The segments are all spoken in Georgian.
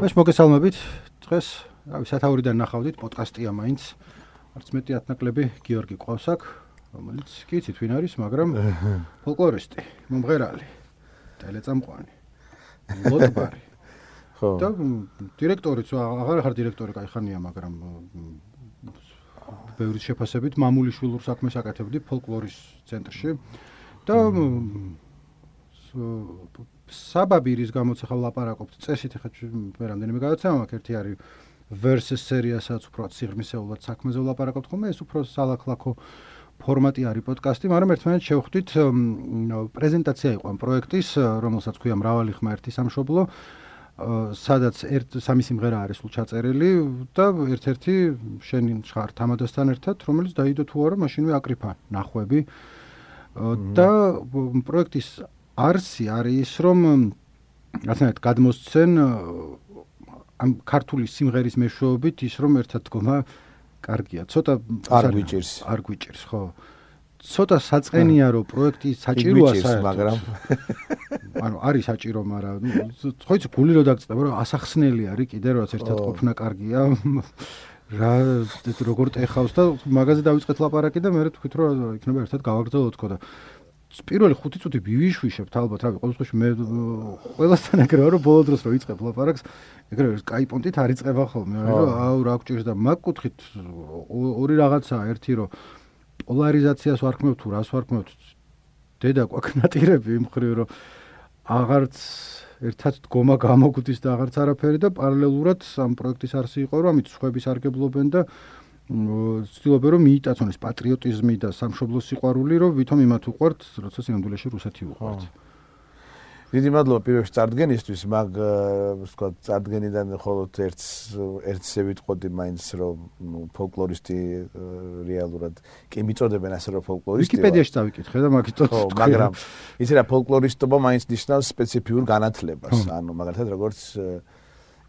ეს მოგესალმებით. დღეს სათაურიდან ნახავდით პოდკასტია მაინც. არც მეტი ათნაკლები გიორგი ყავს აქ, რომელიც კი იცით ვინ არის, მაგრამ ფოლკლორისტი, მომღერალი, ტელეწამყვანი, ლოტბარი. ხო. და დირექტორიც, აღარ ხარ დირექტორი, კაი ხანია, მაგრამ ბევრი შეფასებით მამულიშვილურ საქმეს აკეთებდი ფოლკლორის ცენტრში და საბაბი რის გამოც ახლა ვლაპარაკობთ წესით, ახლა მე რამდენიმე გადაცემა მაქვს, ერთი არის versus სერიასაც უფრო სიღრმისეულად საქმეზე ვლაპარაკობთ ხოლმე, ეს უფრო სალაკლაკო ფორმატი არის პოდკასტი, მაგრამ ერთმანეთს შევხვდით პრეზენტაცია იყო ამ პროექტის, რომელსაც ქვია მრავალი ხმა ერთი სამშობლო, სადაც სამი სიმღერა არის სულ ჩაწერილი და ერთ-ერთი შენი ხარ თამადასთან ერთად, რომელიც დაიდო თუ არა, მაშინვე აკრიფა ნახვები და პროექტის არსი არის ის, რომ რაღაცნაირად გადმოსცენ ამ ქართული სიმღერის მეშვეობით ის, რომ ერთად დგომა კარგია. ცოტა არ გვიჭირს, ხო. ცოტა საწყენია, რომ პროექტი საჭიროა საერთოდ. მაგრამ ანუ არის საჭირო, მაგრამ ხო იცი გული რო დაგწდება, რომ ასახსნელი არის კიდე რაც ერთად ყოფნა კარგია. რა როგორ ტეხავს და მაგაზე დავიწყეთ ლაპარაკი და მე თქვით რომ იქნება ერთად გავაგრძელოთ თქო და პირველი 5 წუთი ვივიშვიშებთ ალბათ, რავი, ყოველ შემთხვევაში მე ყველასთან ეგრევა რომ ბოლო დროს რო იწყებ ლაპარაკს, ეგრევე Skype-ონტით არ იწყება ხოლმე, რომ აუ რა გჭირს და მაგ კუთხით ორი რაღაცაა, ერთი რომ პოლარიზაციას ვარქმევ თუ რას ვარქმევ, დედა კვაკნატირები იმ მხრივ რომ აღარც ერთად დგომა გამოგვდის და აღარც არაფერი და პარალელურად ამ პროექტის არსი იყო, რომ ამით სხვები სარგებლობენ და ცდილობენ რომ მიიტაცონ ეს პატრიოტიზმი და სამშობლოს სიყვარული, რომ ვითომ იმათ უყვართ, როცა სინამდვილეში რუსეთი უყვართ. დიდი მადლობა პირველში წარდგენისთვის, მაგ ვთქვა წარდგენიდან მხოლოდ ერთზე ვიტყოდი მაინც რომ ფოლკლორისტი რეალურად კი მიწოდებენ ასე რომ ფოლკლორისტი. ვიკიპედიაში დავიკითხე და მაგითო. ხო, მაგრამ იცი რა ფოლკლორისტობა მაინც ნიშნავს სპეციფიურ განათლებას. ანუ მაგალითად როგორც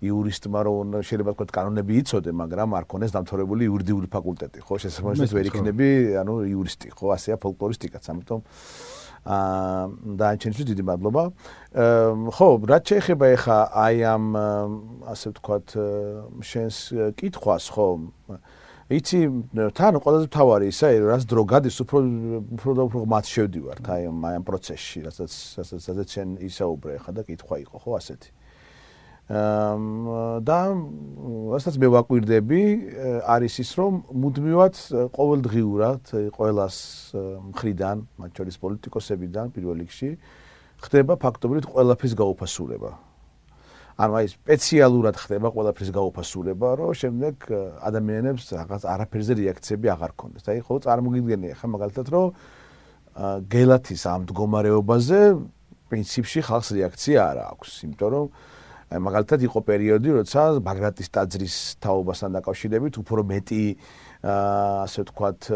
იურისტმა რომ შეიძლება თქვა კანონები იცოდე, მაგრამ არ ქონდეს დამთავრებული იურიდიული ფაკულტეტი, ხო, შესაბამისად ვერ იქნები, ანუ იურისტი, ხო, ასეა ფოლკლორისტიკაც, ამიტომ დაანჩენისთვის დიდი მადლობა. ხო, რაც შეეხება ახლა აი ამ ასე ვთქვათ შენს კითხვას, ხო, იცი თან ყველაზე მთავარი ისა, რაც დრო გადის, უფრო მათ შევდივართ აი ამ პროცესში, რასაც შენ ისაუბრე ახლა და კითხვა იყო, ხო, ასეთი. და რასაც მე ვაკვირდები არის ის რომ მუდმივად ყოველდღიურად ყველას მხრიდან, მათ შორის პოლიტიკოსებიდან პირველ რიგში ხდება ფაქტობრივად ყველაფრის გაუფასურება. ანუ აი სპეციალურად ხდება ყველაფრის გაუფასურება, რომ შემდეგ ადამიანებს რაღაც არაფერზე რეაქციები აღარ ქონდეს. აი ხო წარმოგიდგენია ხა მაგალითად რომ გელათის ამ მდგომარეობაზე პრინციპში ხალხს რეაქცია არ აქვს, იმიტომ რომ მაგალითად იყო პერიოდი, როცა ბაგრატის ტაძრის თაობასთან დაკავშირებით უფრო მეტი ასე ვთქვათ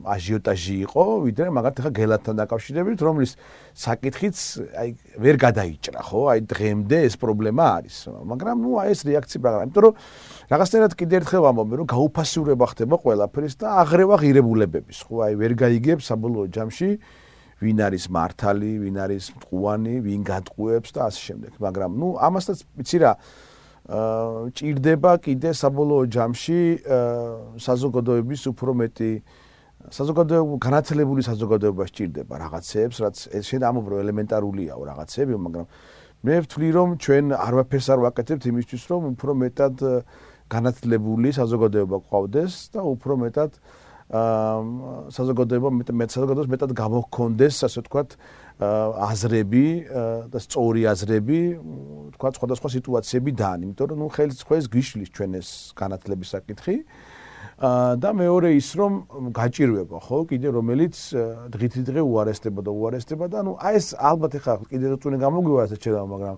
აჟიოტაჟი იყო, ვიდრე მაგალითად ახლა გელათთან დაკავშირებით, რომლის საკითხიც აი ვერ გადაიჭრა, ხო? აი დღემდე ეს პრობლემა არის. მაგრამ ნუ აი ეს რეაქცია მაგრამ, იმიტომ რომ რაღაცნაირად კიდე ერთხელ ვამბობ, რომ გაუფასურება ხდება ყველაფრის და აღრევა ღირებულებების, ხო? აი ვერ გაიგებს საბოლოო ჯამში ვინ არის მართალი, ვინ არის მტყუანი, ვინ გადყუებს და ასე შემდეგ. მაგრამ ნუ ამასაც ვიცი რა, ჭირდება კიდე საბოლოო ჯამში საზოგადოების უფრო მეტი განათლებული საზოგადოება სჭირდება რაღაცეებს, რაც შენ ამობრო ელემენტარულია რაღაცეები, მაგრამ მე ვთვლი რომ ჩვენ არაფერს არ ვაკეთებთ იმისთვის, რომ უფრო მეტად განათლებული საზოგადოება გვყავდეს და უფრო მეტად საზოგადოებას მეტად გამოჰქონდეს, ასე ვთქვათ, აზრები და სწორი აზრები, ვთქვათ, სხვადასხვა სიტუაციებიდან, იმიტომ რომ ნუ ხელს გიშლის ჩვენ ეს განათლების საკითხი და მეორე ის რომ გაჭირვება, ხო, კიდე რომელიც დღითიდღე უარესდება და ნუ აი ეს ალბათ ახლა კიდე როწუნე გამოგვივა ესეც შედა, მაგრამ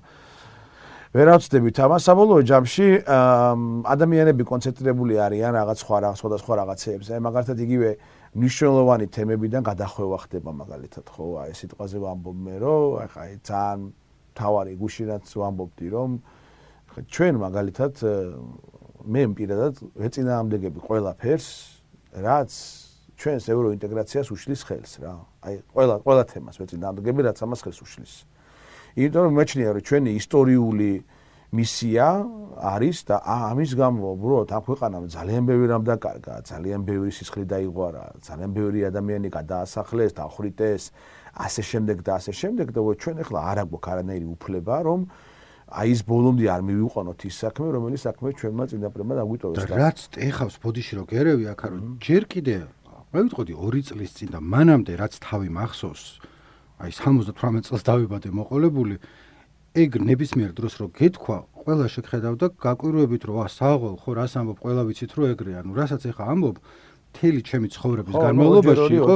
ვერავწდებით ამას საბოლოო ჯამში ადამიანები კონცენტრირებული არიან რაღაც სხვადასხვა რაღაცეებზე. აი მაგალითად იგივე მნიშვნელოვანი თემებიდან გადახვევა ხდება მაგალითად, ხო, აი სიტყვაზე ვამბობ მე, რომ აი ძალიან თავარი გუშინაც ვამბობდი, რომ ჩვენ მაგალითად მე პირადად ვეწინააღმდეგები ყველაფერს, რაც ჩვენს ევროინტეგრაციას უშლის ხელს რა. აი ყველა თემას ვეწინააღმდეგები, რაც ამას ხელს უშლის. იმიტომ რომ მეჩნია რომ ჩვენი ისტორიული მისია არის და ამის გამო უბრალოდ ამ ქვეყანამ ძალიან ბევრი რამ დაკარგა, ძალიან ბევრი სისხლი დაიღვარა, ძალიან ბევრი ადამიანი გადაასახლეს, დახვრიტეს, ასე შემდეგ და ასე შემდეგ და ჩვენ ახლა არ აქვს არანაირი უფლება რომ აი ეს ბოლომდე არ მივიყვანოთ ის საქმე, რომელიც საქმე ჩვენმა წინაპრებმა დაგვიტოვეს და რაც ეხავს ბოდიში რო გერევი აქ რომ ჯერ კიდე რა ვიტყოდი 2 წლის წინ და მანამდე რაც თავი მახსოვს აი 78 წელს დავიბადე მოყოლებული ეგ ნებისმიერ დროს რო გეთქვა ყველა შეგხედავდა გაკვირვებით რომ საღოლ ხო რას ამბობ ყველა ვიცით რომ ეგრე ანუ რასაც ეხა ამბობ მთელი ჩემი ცხოვრების განმავლობაში იყო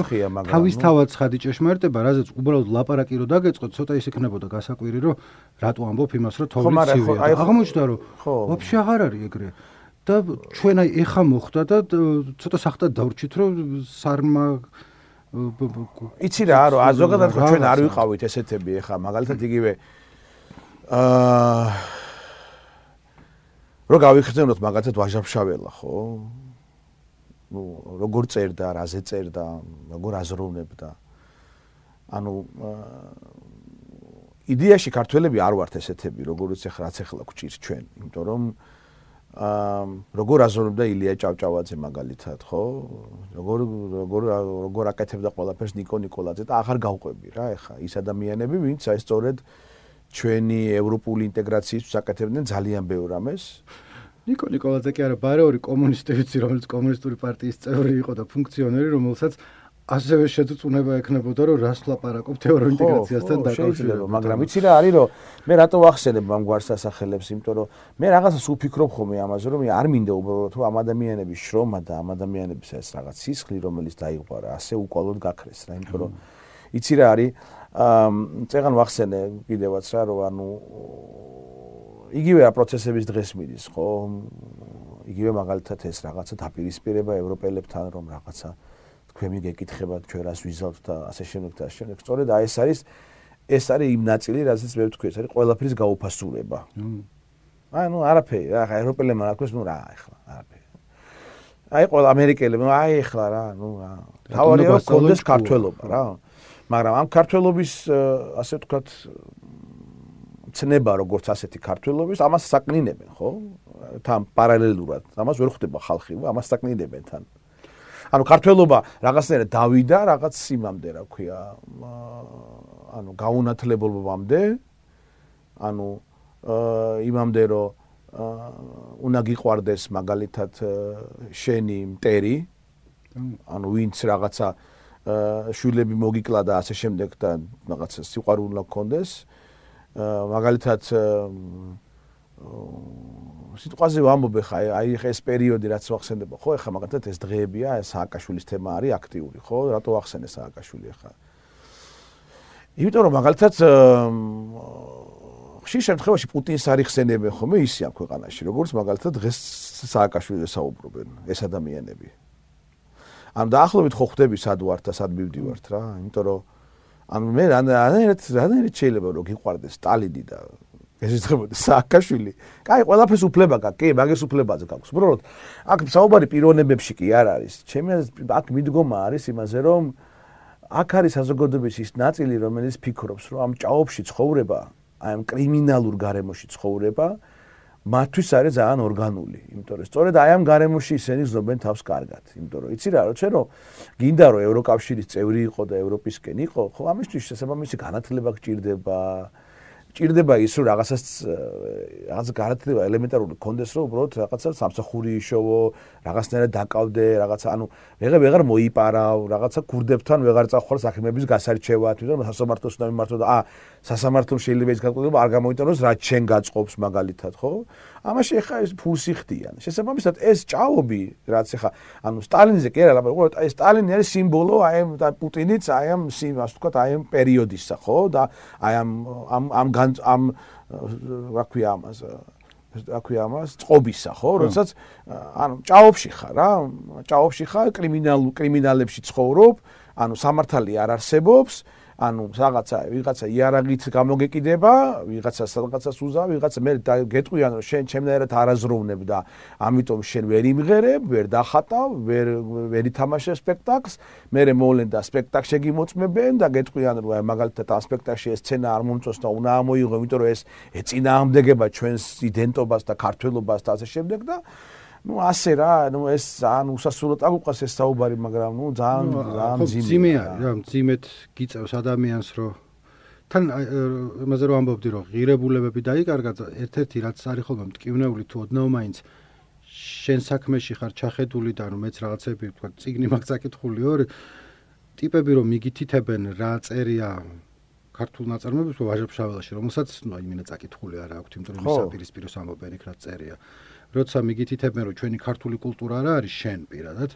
თავისთავად ცხადი ჭეშმარიტება რაზეც უბრალოდ ლაპარაკი რო დაგეწყოთ ცოტა ის იქნებოდა გასაკვირი რომ რატო ამბობ იმას რომ თოვლი ცივია აღმოჩნდა რომ ვაფშე აღარ არის ეგრე და ჩვენ აი ეხა მოხდა და ცოტა სახტად დავრჩით რომ სარმა იცი რა რომ ზოგადად ჩვენ არ ვიყავით ესეთები ეხა მაგალითად იგივე რო გავიხსენოთ მაგალითად ვაჟაფშაველა ხო ну როგორ წერდა, რაზე წერდა, როგორ აზროვნებდა. ანუ იდეაში ქართველები არ ვართ ესეთები, როგორც რაც ახლა გვჭირს ჩვენ, იმიტომ რომ როგორ აზროვნებდა ილია ჭავჭავაძე მაგალითად, ხო? როგორ აკეთებდა ყველაფერს ნიკო ნიკოლაძე და აღარ გავყვები რა, ეხა ის ადამიანები, ვინც აი სწორედ ჩვენი ევროპული ინტეგრაციის საკეთებდნენ ძალიან ბევრ რამეს. ნიკო ნიკოლაძე კი არა ბარეული კომუნისტი ვიცი რომელიც კომუნისტური პარტიის წევრი იყო და ფუნქციონერი რომელსაც ასევე შეძუწუნება ექნებოდა რომ რას ვლაპარაკობთ ევროინტეგრაციასთან დაკავშირებით მაგრამ ვიცი რა არის რომ მე რატო ვახსენებ ამ გვარს ასახელებს იმიტომ რომ მე რაღაცას უფიქრობ ხოლმე ამაზე რომ არ მინდა უბრალოდ რომ ამ ადამიანების შრომა და ამ ადამიანების ეს რაღაც სისხლი რომელიც დაიღვარა ასე უკვალოდ გაქრეს რა იმიტომ რომ იცი რა არის წეგან ვახსენე კიდევაც რა რომ ანუ იგივე პროცესების დღეს მიდის, ხო? იგივე მაგალითად ეს რაღაცა დაპირისპირება ევროპელებთან, რომ რაღაცა თქვენი გეკითხება, ჩვენ რას ვიზავთ და ასე შემდეგ და ასე შემდეგ. სწორედ აი ეს არის იმ ნაწილი, რასაც მე ვთქვი, ეს არის ყველაფრის გაუფასურება. აი ნუ არაფერი, რა ევროპელებმა რა ქვეს, ნუ რა ახლა, არაფერი. აი ყველა ამერიკელებმა, აი ახლა რა, ნუ რა. თავარია კონდეს ქართველობა რა. მაგრამ ამ ქართველობის ასე ვთქვათ ცნება როგორც ასეთი ქართველობის, ამას საკნინებენ, ხო? თან პარალელურად, ამას ვერ ხვდება ხალხი, ამას საკნინებენ თან. ანუ ქართველობა რაღაცნაირად დავიდა, რაღაც იმამდე, რა ქვია, ანუ გაუნათლებობამდე, ანუ იმამდე, რომ უნდა გიყვარდეს მაგალითად შენი მტერი, ანუ ვინც რაღაცა შვილები მოგიკლა და ასე შემდეგ და რაღაცა სიყვარული უნდა გქონდეს. მაგალითად სიტყვაზე ვამბობ ხა აი ეს პერიოდი რაც ვახსენდება ხო ეხა მაგალითად ეს დღეებია სააკაშვილის თემა არის აქტიური ხო რატო ვახსენე სააკაშვილი ხა იმიტომ რომ მაგალითად ხშირ შემთხვევაში პუტინს არ იხსენებენ ხოლმე ისე ამ ქვეყანაში როგორც მაგალითად დღეს სააკაშვილზე საუბრობენ ეს ადამიანები ამ დაახლოებით ხო ხვდები სად ვართ და სად მივდივართ რა იმიტომ რომ ანუ მე რანაირად შეიძლება რომ გიყვარდეს სტალინი და ესეცებოდეს სააკაშვილი. კაი, ყველაფერს უფლება გაქვს, კი, მაგის უფლებაზე გაქვს. უბრალოდ აქ საუბარი პიროვნებებში კი არ არის. ჩემი აქ მიდგომა არის იმაზე, რომ აქ არის საზოგადოების ის ნაწილი, რომელიც ფიქრობს, რომ ამ ჭაობში ცხოვრება, აი ამ კრიმინალურ გარემოში ცხოვრება, მათთვის არის ძალიან ორგანული. იმიტომ რომ სწორედ აი ამ გარემოში ისინი ზნობენ თავს კარგად. იმიტომ რომ იცი რა, როცა რომ გინდა რომ ევროკავშირის წევრი იყო და ევროპისკენ იყო, ხო ამისთვის შესაბამისი განათლება გჭირდება. ჭირდება ის რომ რაღაცა განათლება ელემენტარული კონდეს რომ უბრალოდ რაღაცა სამსახური იშოვო, რაღაცნაირად დაკავდე, რაღაცა ანუ ვეღარ მოიპარავ, რაღაცა ქურდებთან ვეღარ წახვალ საქმეების გასარჩევად, ვიდრე სასამართლოს უნდა მიმართო და სასამართლომ შეიძლება ის განკუთრება არ გამოიტანოს რაც შენ გაწყობს მაგალითად, ხო? ამაში ხა ეს ფულს იხდიან. შესაბამისად ეს ჭაობი, რაც ხა ანუ სტალინზე კი არა, უბრალოდ აი სტალინი არის სიმბოლო, აი და პუტინიც აი ამ ასე ვთქვათ, აი ამ პერიოდისა, ხო? და აი ამ რა ქვია ამას წყობისა, ხო? როდესაც ანუ ჭაობში ხარ რა, ჭაობში ხარ კრიმინალებში ცხოვრობ, ანუ სამართალი არ არსებობს, ანუ ვიღაცა იარაღით გამოგეკიდება, ვიღაცა სადღაცას უზა, ვიღაცა მე გეტყვიან რომ შენ ჩემნაირად არაზროვნებ და ამიტომ შენ ვერ იმღერებ, ვერ დახატავ, ვერ ითამაშებ სპექტაკლს, მე მოვლენ და სპექტაკლს შეგიმოწმებენ და გეტყვიან რომ მაგალითად ამ სპექტაკლში ეს სცენა არ მომწონს და უნდა ამოიღო, იმიტომ რომ ეს ეწინააღმდეგება ჩვენს იდენტობას და ქართველობას და ასე შემდეგ და ასე რა, ეს ძალიან უსასრულოდ აგვიყვას ეს საუბარი, მაგრამ ძალიან ძიმეა რა, ძიმეთ გიწევს ადამიანს, რომ თან იმაზე რომ ამბობდი, რომ ღირებულებები დაიკარგა, ერთ-ერთი რაც არის ხოლმე მტკივნეული თუ ოდნავ მაინც შენ საქმეში ხარ ჩახედული და რომ მეც რაღაცები თქვა წიგნი მაქვს წაკითხული ორი ტიპები რომ მიგითითებენ რა წერია ქართულ ნაწარმოებებში ვაჟებშაველაში, რომელსაც იმინა წაკითხული არა აქვს, იმიტომ რომ მისაპირისპიროს ამბობენ იქ რა წერია. როცა მიგითითებენ რომ ჩვენი ქართული კულტურა რა არის შენ პირადად,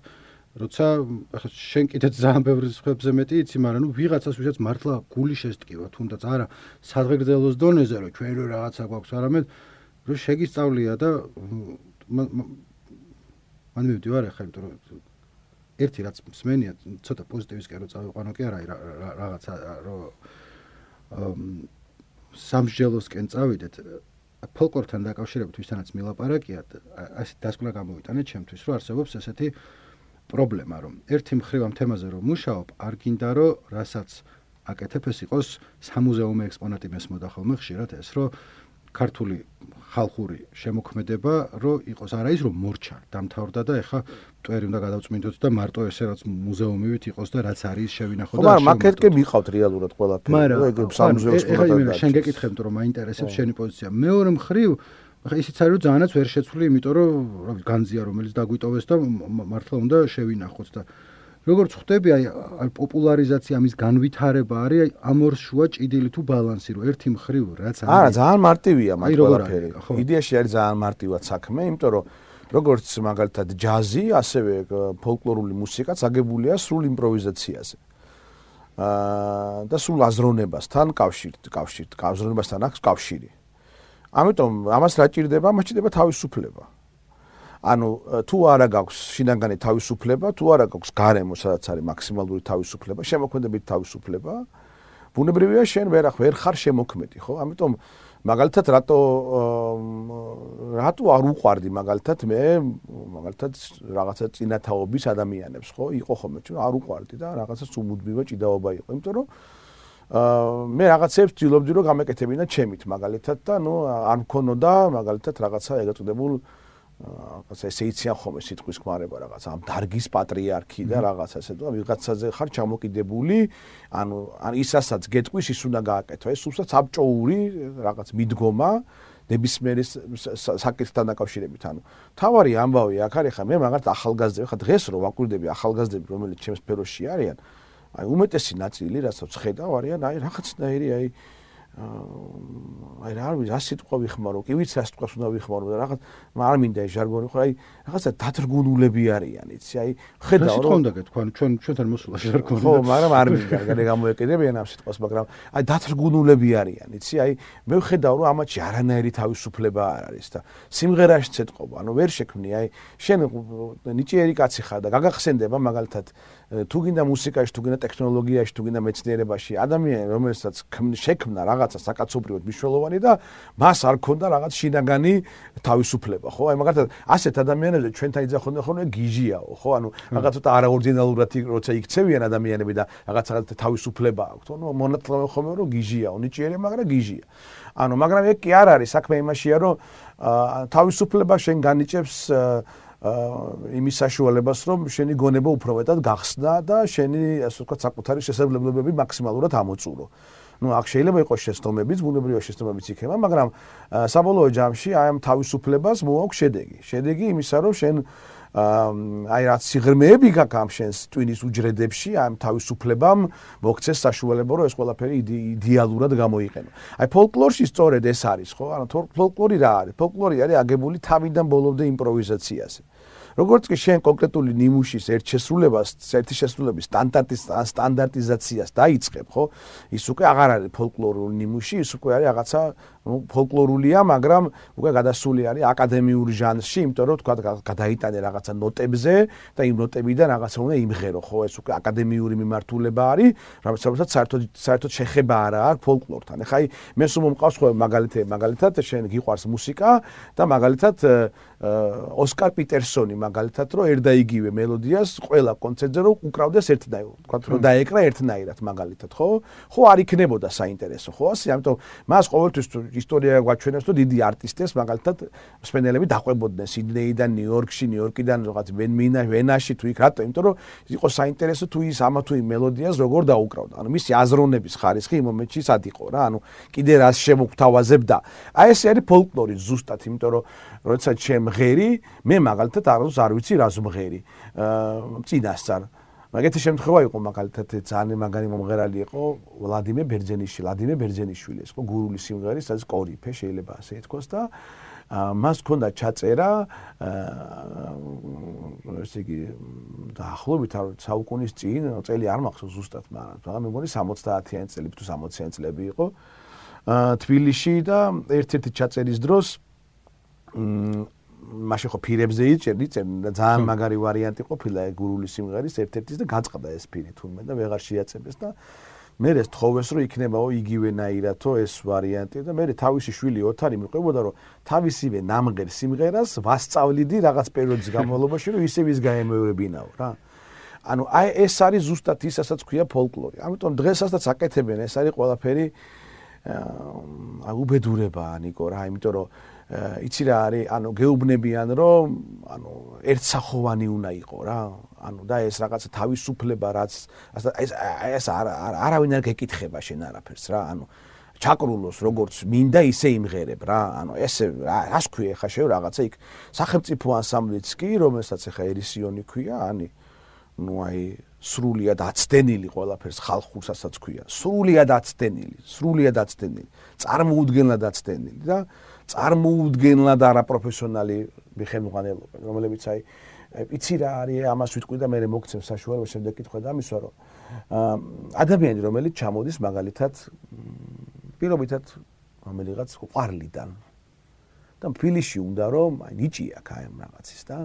როცა შენ კიდეც ძალიან ბევრი სხვებზე მეტი იცი, მაგრამ ვიღაცას ვისაც მართლა გული შესტკივა, თუნდაც არა სადღეგრძელოს დონეზე რომ ჩვენ რო რაღაცა გვაქვს, არამედ რომ შეგისწავლია და მან მივდივარ ახლა, იმიტომ რომ ერთი რაც მსმენია, ცოტა პოზიტივისკენ რო წავიყვანო კი არა, რაღაცა რომ სამსჯელოსკენ წავიდეთ ფოლკლორთან დაკავშირებით ვისთანაც მილაპარაკიათ, ასე დასკვნა გამოვიტანეთ ჩემთვის, რომ არსებობს ესეთი პრობლემა, რომ ერთი მხრივ ამ თემაზე რომ მუშაობ, არ გინდა რომ რასაც აკეთებ ეს იყოს სამუზეუმო ექსპონატი მესმოდა ხოლმე ხშირად ეს, რომ ქართული ხალხური შემოქმედება რომ იყოს არა ის რომ მორჩა, დამთავრდა და ეხა მტვერი უნდა გადავწმინდოთ და მარტო ესე რაც მუზეუმივით იყოს და რაც არის შევინახო და მაგრამ მაგეთკე მიყავთ რეალურად ყველაფერი, რომ ეგ სამუზეუმო ექსპონატი. შენ გეკითხებთ რომ მაინტერესებს შენი პოზიცია. მეორე მხრივ ახლა ისიც არის რომ ძალიანაც ვერ შეცვლი, იმიტომ რომ განძია რომელიც დაგვიტოვეს და მართლა უნდა შევინახოთ და როგორც ხვდები, აი პოპულარიზაცია ამის განვითარება არის ამ ორ შუა ჭიდილი თუ ბალანსი, რომ ერთი მხრივ რაც არის. არა, ძალიან მარტივია მაგ ყველაფერი. იდეაში არის ძალიან მარტივად საქმე, იმიტომ რომ როგორც მაგალითად ჯაზი, ასევე ფოლკლორული მუსიკაც აგებულია სრულ იმპროვიზაციაზე. და სრულ აზროვნებასთან აზროვნებასთან აქვს კავშირი. ამიტომ ამას რა ჭირდება? მას ჭირდება თავისუფლება. ანუ თუ არა გაქვს შინაგანი თავისუფლება, თუ არა გაქვს გარემო, სადაც არის მაქსიმალური თავისუფლება, შემოქმედებით თავისუფლება, ბუნებრივია შენ ვერ ხარ შემოქმედი, ხო? ამიტომ მაგალითად რატო არ უყვარდი მაგალითად მე მაგალითად რაღაცა წინათაობის ადამიანებს, ხო? იყო ხოლმე ჩვენ არ უყვარდი და რაღაცას უმუდმივად ჭიდაობა იყო, იმიტომ რომ მე რაღაცებს ვცდილობდი რომ გამეკეთებინა ჩემით მაგალითად და არ მქონოდა მაგალითად რაღაცა ეგრეთ წოდებულ ესე იციან ხოლმე სიტყვის ქმარება რაღაც ამ დარგის პატრიარქი და რაღაცა ესე და ვიღაცაზე ხარ ჩამოკიდებული, ანუ ისასაც გეტყვის ის უნდა გააკეთო, ეს უბრალოდ საბჭოური რაღაც მიდგომა ნებისმიერი საკითხთან დაკავშირებით, ანუ თავარი ამბავი აქ არის ხა მე მაგალითად ახალგაზრდები, ხა დღეს რო ვაკვირდები ახალგაზრდები რომელიც ჩემს სფეროში არიან, აი უმეტესი ნაწილი რასაც ხედავ არიან აი რაღაცნაირი აი რა ვიცი, რა სიტყვა ვიხმარო, კი ვიცი რა სიტყვას უნდა ვიხმარო და რაღაც არ მინდა ეს ჟარგონი ხო, აი რაღაცა დათრგუნულები არიან, იცი, აი ხედავ რომ სიტყვა უნდა გეთქვა, ჩვენთან მოსულა ჟარგონი. ხო, მაგრამ არ მინდა, განე გამოეკიდებიან ამ სიტყვას, მაგრამ აი დათრგუნულები არიან, იცი, აი მე ვხედავ რომ ამათში არანაირი თავისუფლება არ არის და სიმღერაშიც ეთყობა, ანუ ვერ შექმნი, აი შენ ნიჭიერი კაცი ხარ და გაგახსენდება მაგალითად თუ გინდა მუსიკაში, თუ გინდა ტექნოლოგიაში, თუ გინდა მეცნიერებაში, ადამიანი რომელსაც შექმნა რაღაცა საკაცობრიოდ მნიშვნელოვანი და მას არ ქონდა რაღაც შინაგანი თავისუფლება, ხო? აი მაგალითად ასეთ ადამიანებზე ჩვენთან იძახოდნენ ხოლმე გიჟიაო, ხო? ანუ რაღაც ცოტა არაორდინალურად როცა იქცევიან ადამიანები და რაღაცა თავისუფლება აქვთ, ნუ მონათლავენ ხოლმე რომ გიჟიაო, ნიჭიერი, მაგრამ გიჟია. ანუ მაგრამ ეგ კი არ არის, საქმე იმაშია რომ თავისუფლება შენ განიჭებს იმის საშუალებას, რომ შენი გონება უფრო მეტად გახსნა და შენი ასე ვთქვათ საკუთარი შესაძლებლობები მაქსიმალურად ამოწურო. ნუ აქ შეიძლება იყოს შეცდომებიც, ბუნებრივია შეცდომებიც იქნება, მაგრამ საბოლოო ჯამში აი ამ თავისუფლებას მოაქვს შედეგი. შედეგი იმისა, რომ შენ აი რაც სიღრმეები გაქვს ამ შენს ტვინის უჯრედებში, ამ თავისუფლებამ მოგცეს საშუალება, რომ ეს ყველაფერი იდეალურად გამოიყენო. აი ფოლკლორში სწორედ ეს არის, ხო? ანუ ფოლკლორი რა არის? ფოლკლორი არის აგებული თავიდან ბოლომდე იმპროვიზაციაზე. როგორც კი შენ კონკრეტული ნიმუშის ერთი შესრულების სტანდარტიზაციას დაიწყებ, ხო? ის უკვე აღარ არის ფოლკლორული ნიმუში, ის უკვე არის რაღაცა ფოლკლორულია, მაგრამ უკვე გადასული არის აკადემიურ ჟანრში, იმიტომ რომ თქვა გადაიტანე რაღაცა ნოტებზე და იმ ნოტებიდან რაღაცა უნდა იმღერო, ხო, ეს უკვე აკადემიური მიმართულება არის, რომელსაც საერთოდ შეხება არა აქვს ფოლკლორთან. ეხლა მე სულ მომყავს ხო მაგალითად შენ გიყვარს მუსიკა და მაგალითად ოსკარ პიტერსონი მაგალითად რომ ერთ და იგივე მელოდიას ყველა კონცერტზე რომ უკრავდეს ერთნაირად, თქვა რომ დაეკრა ერთნაირად მაგალითად, ხო? ხო არ იქნებოდა საინტერესო, ხო? ასე, ამიტომ მას ყოველთვის ისტორია გვაჩვენებს, რომ დიდი არტისტებს მაგალითად მსმენელები დაყვებოდნენ სიდნეიდან, ნიუ-იორკიდან რაღაც ვენაში თუ იქ რატო? იმიტომ რომ იყო საინტერესო თუ ის ამა თუ იმ მელოდიას როგორ დაუკრავდა. ანუ მისი აზროვნების ხარისხი იმ მომენტში სად იყო რა? ანუ კიდე რას შემოგთავაზებდა. აი ეს არის ფოლკლორი ზუსტად, იმიტომ რომ როდესაც შემღერი, მე მაგალითად არ ვიცი რას მღერი. წინასწარ მაგეთი შემთხვევა იყო მაგალითად ძალიან მაგარი მომღერალი იყო ვლადიმერ ბერძენიშვილი, ეს ხო გურული სიმღერის სადაც კორიფე შეიძლება ასე ითქვას და მას ჰქონდა ჩაწერა ესე იგი დაახლოებით საუკუნის წინ წელი არ მახსოვს ზუსტად, მაგრამ მე მგონი 70-იანი წლები თუ 60-იანი წლები იყო თბილისში და ერთ-ერთი ჩაწერის დროს მაშინ ხო ფირებზე იწერდი და ძალიან მაგარი ვარიანტი ყოფილა გურული სიმღერის ერთ-ერთის და გაწყდა ეს ფირი თურმე და ვეღარ შეაწებეს და მე ეს თხოვეს რომ იქნებაო იგივენაირათო ეს ვარიანტი და მე თავისი შვილი ოთარი მიყვებოდა რომ თავისივე ნამღერ სიმღერას ვასწავლიდი რაღაც პერიოდის განმავლობაში რომ ისევ ის გაემეორებინაო რა. ანუ აი ეს არის ზუსტად ის ასაც ქვია ფოლკლორი. ამიტომ დღესაც აკეთებენ ეს არის ყველაფერი უბედურებაა ნიკო რა, იმიტომ რომ იცი რა არის, ანუ გეუბნებიან რომ ანუ ერთსახოვანი უნდა იყო რა. ანუ და ეს რაღაცა თავისუფლება რაც ეს არავინ არ გეკითხება შენ არაფერს რა. ანუ ჩაკრულოს როგორც მინდა ისე იმღერებ რა. ანუ ესე რას ქვია ხა შევ რაღაცა იქ სახელმწიფო ანსამბლიც კი, რომელსაც ხა ერისიონი ქვია, ნუ აი სრულიად აცდენილი ყველაფერს ხალხურსაც ქვია. სრულიად აცდენილი. წარმოუდგენლად აცდენილი და წარმოუდგენლად არაპროფესიონალი მიხელმოყანელობა, რომლებიც აი იცი რა არის, ამას ვიტყვი და მე მოგცემ საშუალება შემდეგ კითხვა და ამისვა რომ ადამიანი რომელიც ჩამოდის მაგალითად პირობითად რომელიღაც ყვარლიდან და ფილიში უნდა რომ აი ნიჭი აქვს აი რაღაცის და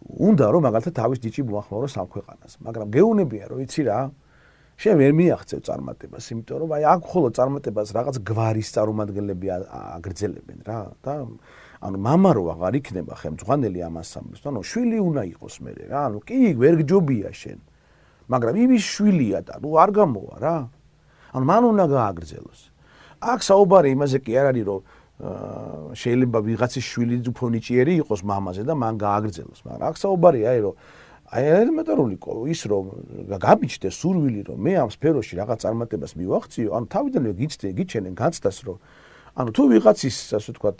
უნდა რომ მაგალითად თავის ნიჭი მოახმაუროს ამ ქვეყანას, მაგრამ გეუნებია რომ იცი რა შენ ვერ მიაღწევ წარმატებას, იმიტომ რომ აი აქ ხოლო წარმატებას რაღაც გვარის წარმომადგენლები აგრძელებენ რა და ანუ მამა რო აღარ იქნება ხელმძღვანელი ამ ანსამბლს, ანუ შვილი უნდა იყოს მე რა, ანუ კი ვერ გჯობია შენ, მაგრამ იმის შვილია და ნუ არ გამოვა რა. ანუ მან უნდა გააგრძელოს. აქ საუბარი იმაზე კი არ არის რომ შეიძლება ვიღაცის შვილი უფრო ნიჭიერი იყოს მამაზე და მან გააგრძელოს, მაგრამ აქ საუბარია აი რომ აი ელემენტარული ის რომ გამიჩნდეს სურვილი რომ მე ამ სფეროში რაღაც წარმატებას მივახციო, ანუ თავიდანვე გიჩენენ განცდას რომ ანუ თუ ვიღაცის ასე ვთქვათ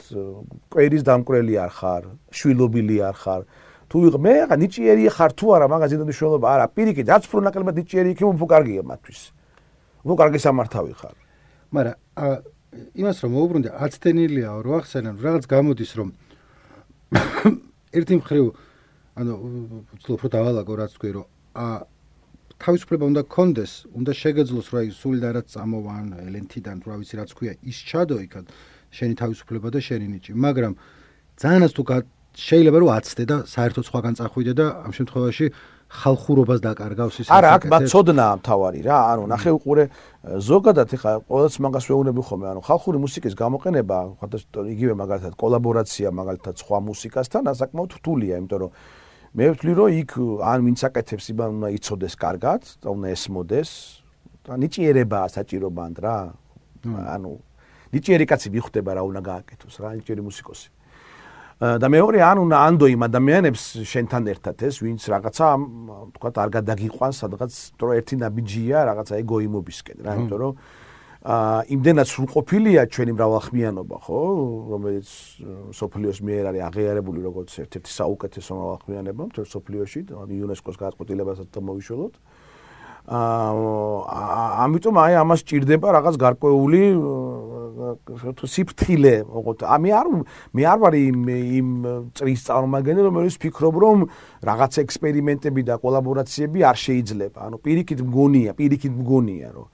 კვერის დამკვრელი არ ხარ, შვილობილი არ ხარ, თუ მე რაღაც ნიჭიერი ხარ თუ არა მაგაზე მნიშვნელობა არა, პირიქით რაც უფრო ნაკლებად ნიჭიერი იქნება უფრო კარგია მათთვის. უფრო კარგი სამართავი ხარ. მაგრამ იმას რომ მოუბრუნდე აცდენილია რო ახსენან რაღაც გამოდის რომ ერთი მხრივ ანუ უფრო დავალაგო რაც თქვი რომ თავისუფლება უნდა გქონდეს, უნდა შეგეძლოს რომ აი სულიდან რაც წამოვან ელენთიდან რა ვიცი რაც ქვია ის ჩადო იქად შენი თავისუფლება და შენი ნიჭი, მაგრამ ძალიანაც თუ შეიძლება რომ აცდე და საერთოდ სხვაგან წახვიდე და ამ შემთხვევაში ხალხურობას დაკარგავს ის არა, აქ მაცოდნაა მთავარი რა, ანუ ნახე უყურე ზოგადად ეხა ყოველთვის მაგას ვეუბნები ხოლმე, ანუ ხალხური მუსიკის გამოყენება, იგივე მაგალითად კოლაბორაცია მაგალითად სხვა მუსიკასთან საკმაოდ რთულია, იმიტომ რომ მე ვთვლი რომ იქ ან ვინც აკეთებს იბან უნდა იცოდეს კარგად და უნდა ესმოდეს და ნიჭიერებაა საჭირო ბანდ რა. ანუ ნიჭიერი კაცი მიხვდება რა უნდა გააკეთოს რა, ნიჭიერი მუსიკოსი. და მეორე ან უნდა ანდო იმ ადამიანებს შენთან ერთად ეს ვინც რაღაცა თქვათ არ გადაგიყვანს სადღაც თორე ერთი ნაბიჯია რაღაცა ეგოიმობისკენ რა, იმიტომ რომ იმდენად სრულყოფილია ჩვენი მრავალხმიანობა, ხო, რომელიც სოფლიოს მიერ არის აღიარებული როგორც ერთ-ერთი საუკეთესო მრავალხმიანობა მთელ სოფლიოში, იუნესკოს გადაწყვეტილებასაც მოვიშველოთ. ამიტომ აი ამას ჭირდება რაღაც გარკვეული სიფრთხილე, მე არ ვარ იმ წრის წარმომადგენელი, რომელიც ფიქრობ რომ რაღაც ექსპერიმენტები და კოლაბორაციები არ შეიძლება. ანუ პირიქით მგონია რომ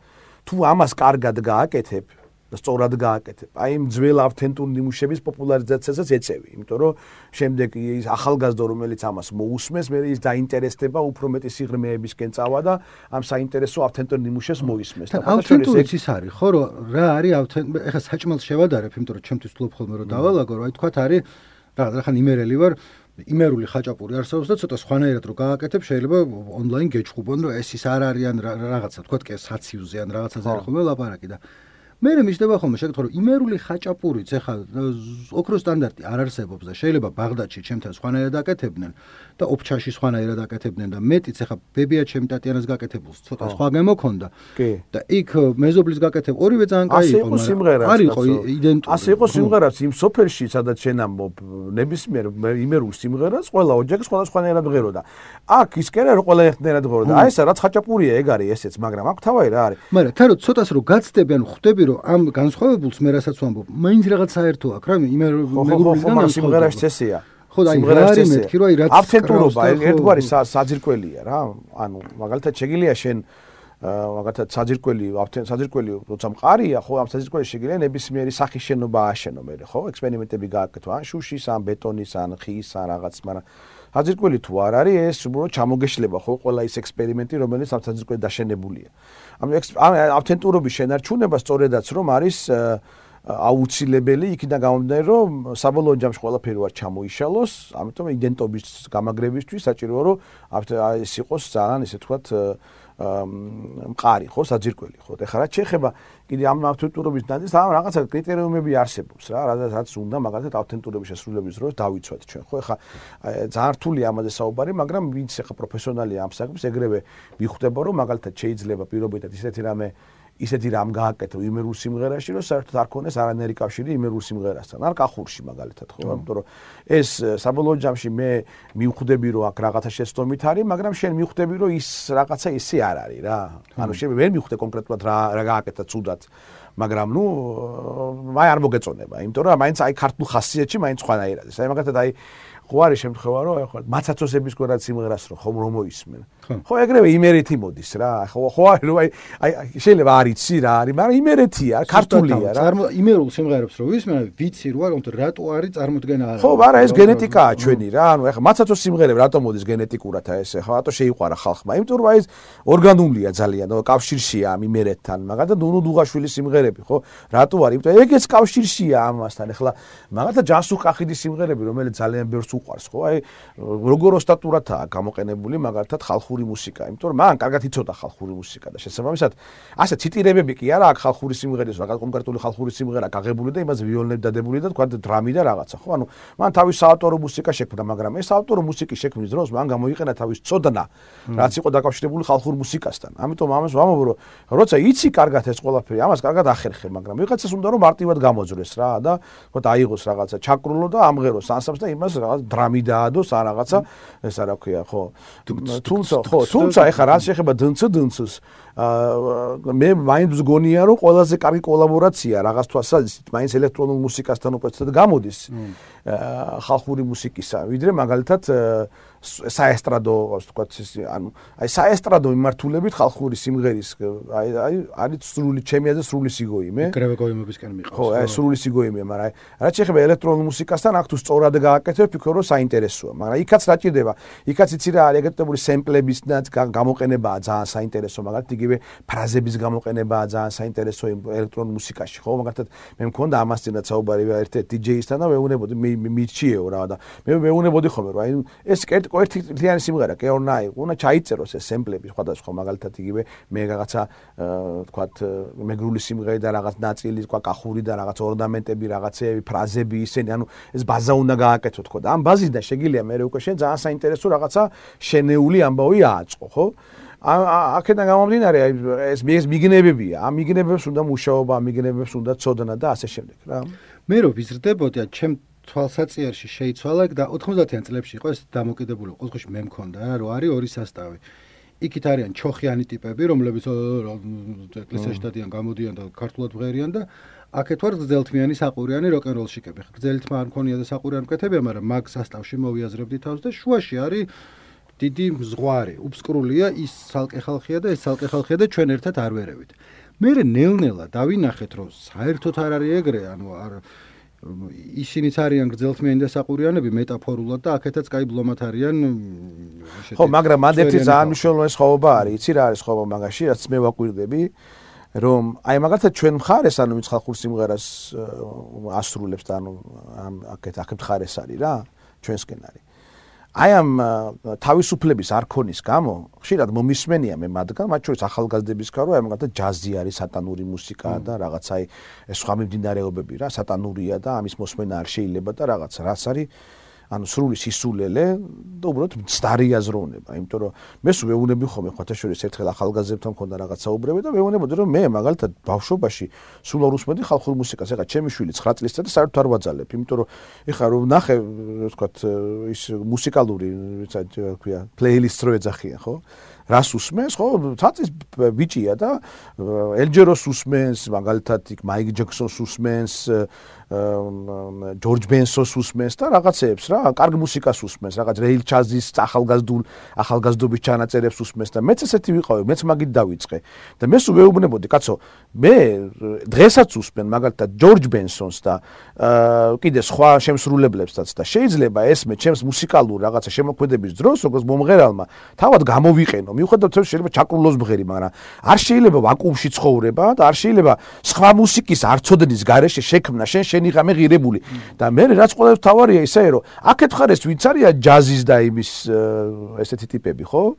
თუ ამას კარგად გააკეთებ, და სწორად გააკეთებ. აი იმ ძველ ავთენტურ ნიმუშების პოპულარიზაციასაც ეწევი, იმიტომ რომ შემდეგ ის ახალგაზრდა რომელიც ამას მოусმეს, მე ის დაინტერესდება, უფრო მეტი სიღრმეებისკენ წავა და ამ საინტერესო ავთენტურ ნიმუშებს მოისმეს. და ავთენტურიც ის არის, ხო, რომ რა არის ავთენტური, ეხლა საჭმელს შევადარებ, იმიტომ რომ ჩემთვის ვთვლობ ხოლმე რომ დავალაგო, რომ აი თქვათ არის რაღაცა იმერელი ვარ, იმერული ხაჭაპური არსებობს და ცოტა სხვანაირად რო გააკეთებ, შეიძლება ონლაინ გეჩხუბონ, რომ ეს ის არ არიან რაღაცა, თქვათ კი საციუზე ან რაღაცაზე არის ხოლმე ლაპარაკი და მე მიშდება ხოლმე შეკითხვა, რომ იმერული ხაჭაპურიც ეხლა ოქროს სტანდარტი არ არსებობს და შეიძლება ბაღდადში ჩემთან სხვანაირად აკეთებდნენ და ოფჩაში სხვანაირად აკეთებდნენ და მეტიც ეხლა ბებია ჩემი ტატიანას გაკეთებულს ცოტა სხვა გემოქონდა და იქ მეზობლის გაკეთებ ორივე ძალიან კაი იყო, მაგრამ არ იყო იდენტური. ასე იყო სიმღერაც იმ სოფელში, სადაც შენ ამბობ, ნებისმიერ იმერულ სიმღერას ყველა ოჯახი სხვადასხვანაირად ღეროდა. აქ ის კი არა რომ ყველა ერთნაირად ღეროდა. აი ესა რაც ხაჭაპურია ეგ არის ესეც, მაგრამ აქ თავი რა არის. მაგრამ თან რომ ცოტას რომ გაცდები, ანუ ხვდები ამ განსხვავებულს მე რასაც ვამბობ, მაინც რაღაც საერთო აქვს რა, მეგობრებისგან სიმღერაში წესია. ხო, და არის მეთქი რომ აი რაც ავთენტურობა ერთგვარი საძირკველია რა. ანუ მაგალითად შეგიძლია შენ მაგალითად საძირკველი როცა მყარია, ხო, ამ საძირკველში შეგიძლია ნებისმიერი სახის შენობა ააშენო მე, ხო, ექსპერიმენტები გააკეთო, ან შუშის, ან ბეტონის, ან ხის, ან რაღაც, მაგრამ საძირკველი თუ არ არის, ეს უბრალოდ ჩამოგეშლება, ხო, ყველა ის ექსპერიმენტი, რომელიც ამ საძირკველი დაშენებულია. ამ ავთენტურობის შენარჩუნება სწორედაც რომ არის აუცილებელი იქიდან გამომდინარე, რომ საბოლოო ჯამში ყველაფერი ვარ ჩამოიშალოს, ამიტომ იდენტობის გამაგრებისთვის საჭიროა რომ ეს იყოს ძალიან ისე თქვათ მყარი, ხო, საძირკველი, ხო. ეხლა რაც შეეხება კიდე ამ ავთენტურობის ნაძილს, ამ რაღაცა კრიტერიუმები არსებობს რა, რაც უნდა მაგალითად ავთენტურობის შესრულების დროს დავიცვათ ჩვენ, ხო. ეხლა ძალიან რთულია ამაზე საუბარი, მაგრამ ვინც ეხლა პროფესიონალია ამ საქმის, ეგრევე მიხვდება, რომ მაგალითად შეიძლება პირობითად ისეთი რამ გააკეთო იმერულ სიმღერაში, რომ საერთოდ არ ქონდეს არანაირი კავშირი იმერულ სიმღერასთან. არ კახურში მაგალითად, ხო, იმიტომ რომ ეს საბოლოო ჯამში მე მივხვდები, რომ აქ რაღაცა შეცდომით არის, მაგრამ შენ მივხვდები, რომ ის რაღაცა ისე არ არის რა. ანუ შენ ვერ მივხვდე კონკრეტულად რა გააკეთა ცუდად, მაგრამ ნუ მაი არ მოგეწონება, იმიტომ რომ მაინც აი ქართულ ხასიათში მაინც სხვანაირად. აი მაგალითად აი ხო არის შემთხვევა, რომ ახლა მაცაცოსების გვერდად სიმღერას რომ მოისმენ. ხო, ეგრევე იმერეთი მოდის რა. ხო არის რომ აი შეიძლება არ იცი რა არის, მაგრამ იმერეთია, ქართულია რა. იმერულ სიმღერებს რომ ვისმენ, ვიცი რა, რატო არის წარმოდგენა არა. ხო, მაგრამ ეს გენეტიკაა ჩვენი რა. ანუ ახლა მაცაცოს სიმღერები რატო მოდის გენეტიკურად ეს ახლა რატო შეიყვარა ხალხმა? იმიტომ რომ აი ეს ორგანულია ძალიან, კავშირშია ამ იმერეთთან. მაგალითად ნუნუ დუღაშვილის სიმღერები, ხო? რატო არის? იმიტომ ეგეც კავშირშია ამასთან. ახლა მაგალითად ჯანსუღ კახიდის სიმღერები, რომელიც ძალიან ბევრს უყვარს, ხო? აი როგორ ოსტატურათაა გამოყენებული მაგალითად ხალხური მუსიკა, იმიტომ რომ მან კარგად იცოდა ხალხური მუსიკა და შესაბამისად ასე ციტირებები კი არა აქვს ხალხური სიმღერის, რაღაც კონკრეტული ხალხური სიმღერა გაღებული და იმაზე ვიოლინები დადებული და თქვა დრამი და რაღაცა, ხო? ანუ მან თავის საავტორო მუსიკა შექმნა, მაგრამ ეს საავტორო მუსიკის შექმნის დროს მან გამოიყენა თავის წოდნა, რაც იყო დაკავშირებული ხალხურ მუსიკასთან. ამიტომ ამას ვამბობ, რომ როცა იცი კარგად ეს ყველაფერი, ამას კარგად ახერხე, მაგრამ ვიღაცას უნდა რომ მარტივად გამოძვრეს რა და თქვა აიღოს რაღაცა ჩაკრულო და ამღეროს ანსამბლს და იმას რაღაც დრამი დაადოს ან რაღაცა, ეს რა ქვია, ხო? თუმცა ეხლა რაც შეეხება დნც-დნც-ს მე მაინც გონია რომ ყველაზე კარგი კოლაბორაცია რაღაც თვალსაზრისით მაინც ელექტრონულ მუსიკასთან უპრეცედენტ გამოდის ხალხური მუსიკისა, ვიდრე მაგალითად საესტრადო, ვთქვათ, ანუ აი საესტრადო მიმართულებით ხალხური სიმღერის აი არის სრული ჩემი აზრით სრული სიგოიმე. კრევე გოიმებისკენ მიყავს. ხო, აი სრული სიგოიმეა, მაგრამ აი რაც შეეხება ელექტრონულ მუსიკასთან, აქ თუ სწორად გააკეთებ, ვფიქრობ რომ საინტერესოა, მაგრამ იქაც რა ჭირდება? იქაც იცი რა არის ეგრეთებული სემპლებისნაც გამოყენებაა ძალიან საინტერესო, მაგალითად იგივე ფრაზების გამოყენებაა ძალიან საინტერესო ელექტრონულ მუსიკაში, ხო? მაგალითად მე მქონდა ამას წინათ საუბარი ერთ-ერთ DJ-ისთან და ვეუბნებოდი მირჩიეო რა და მე ვეუბნებოდი ხოლმე რომ აი ეს ერთი თლიანი სიმღერა კი ორ ნაი, უნდა ჩაიწეროს ეს სემპლები სხვადასხვა მაგალითად იგივე მე რაღაცა თქვათ მეგრული სიმღერა და რაღაც ნაწილი თქვა კახური და რაღაც ორნამენტები, რაღაცეები, ფრაზები ისენი, ანუ ეს ბაზა უნდა გააკეთო თქო და ამ ბაზისიდან შეგიძლია მე უკვე შენ ძალიან საინტერესო რაღაცა შენეული ამბავი ააწყო, ხო? აქედან გამომდინარე ეს მიგნებებია, ამ მიგნებებს უნდა მუშაობა, ამ მიგნებებს უნდა ცოდნა და ასე შემდეგ რა. მე რო ვიზრდებოდი ჩემ თვალსაწიერში შეიცვალა და 90-იან წლებში იყო ეს დამოკიდებული, ყოველთვის მე მქონდა რა, რომ არის ორი სასტავი. იქით არიან ჩოხიანი ტიპები, რომლებიც ეკლესიაში დადიან, გამოდიან და ქართულად ვღერიან და აქეთ ვარ გრძელთმიანი საყურიანი როკ-ენ-როლშიკები. გრძელთმა არ მქონია და საყურიანი მკეთებია, მაგრამ მაგ სასტავში მოვიაზრებდი თავს და შუაში არის დიდი მზღვარი, უბსკრულია, ის ცალკე ხალხია და ეს ცალკე ხალხია და ჩვენ ერთად არ ვერევით. მე ნელ-ნელა დავინახეთ რომ საერთოდ არ არის ეგრე, ანუ არ ისინიც არიან გრძელთმიანი და საყურიანები მეტაფორულად და აქეთაც კაი ბლომად არიან ესეთი. ხო, მაგრამ მანდ ერთი ძალიან მნიშვნელოვანი სხვაობა არის, იცი რა არის სხვაობა მაგაში, რაც მე ვაკვირდები, რომ აი მაგალითად ჩვენ მხარეს, ანუ ვინც ხალხურ სიმღერას ასრულებს და ანუ აქეთ მხარეს არის რა, ჩვენსკენ არის. აი ამ თავისუფლების არქონის გამო ხშირად მომისმენია მე მათგან, მათ შორის ახალგაზრდების გარო, აი მაგალითად ჯაზი არის, სატანური მუსიკა და რაღაც აი სხვა მიმდინარეობები რა, სატანურია და ამის მოსმენა არ შეიძლება და რაღაც რაც არის ანუ სრული სისულელე და უბრალოდ მცდარი აზროვნება, იმიტომ რომ მე სულ ვეუბნები ხოლმე ხოთაშორის ერთხელ ახალგაზრდებთან მქონდა რაღაც საუბრები და ვეუბნებოდი რომ მე მაგალითად ბავშვობაში სულ არ უსმენდი ხალხურ მუსიკას, ეხლა ჩემი შვილი 9 წლისაა და საერთოდ არ ვაძალებ, იმიტომ რომ ეხლა რომ ნახე, ვთქვათ, ის მუსიკალური, ვიცა ქვია, პლეილისტს რო ეძახიან, ხო? რას უსმენს, ხო? ცაცის ბიჭია და ელჯეროს უსმენს, მაგალითად იქ მაიკ ჯექსონს უსმენს, ჯორჯ ბენსონს უსმენს და რაღაცეებს რა, კარგ მუსიკას უსმენს, რაღაც რეილ ჩაზის ახალგაზრდობის ჩანაწერებს უსმენს და მეც ესეთი ვიყავი, მეც მაგით დავიწყე. და მე სულ ვეუბნებოდი, კაცო, მე დღესაც უსმენ მაგალითად ჯორჯ ბენსონს და კიდე სხვა შემსრულებლებსაც და შეიძლება ესმე ჩემს მუსიკალურ რაღაცა შემოქმედების დროს, როგორც მომღერალმა, თავად გამოვიყენო. მიუხედავად იმისა, შეიძლება ჩაკრულოს მღერი, მაგრამ არ შეიძლება ვაკუუმში ცხოვრება და არ შეიძლება სხვა მუსიკის არცოდნის გარეშე შექმნა შენ იღამე ღირებული და მე რაც ყველა თავარია ისე რომ აქეთ ხარეს ვინც არია ჯაზის და იმის ესეთი ტიპები, ხო?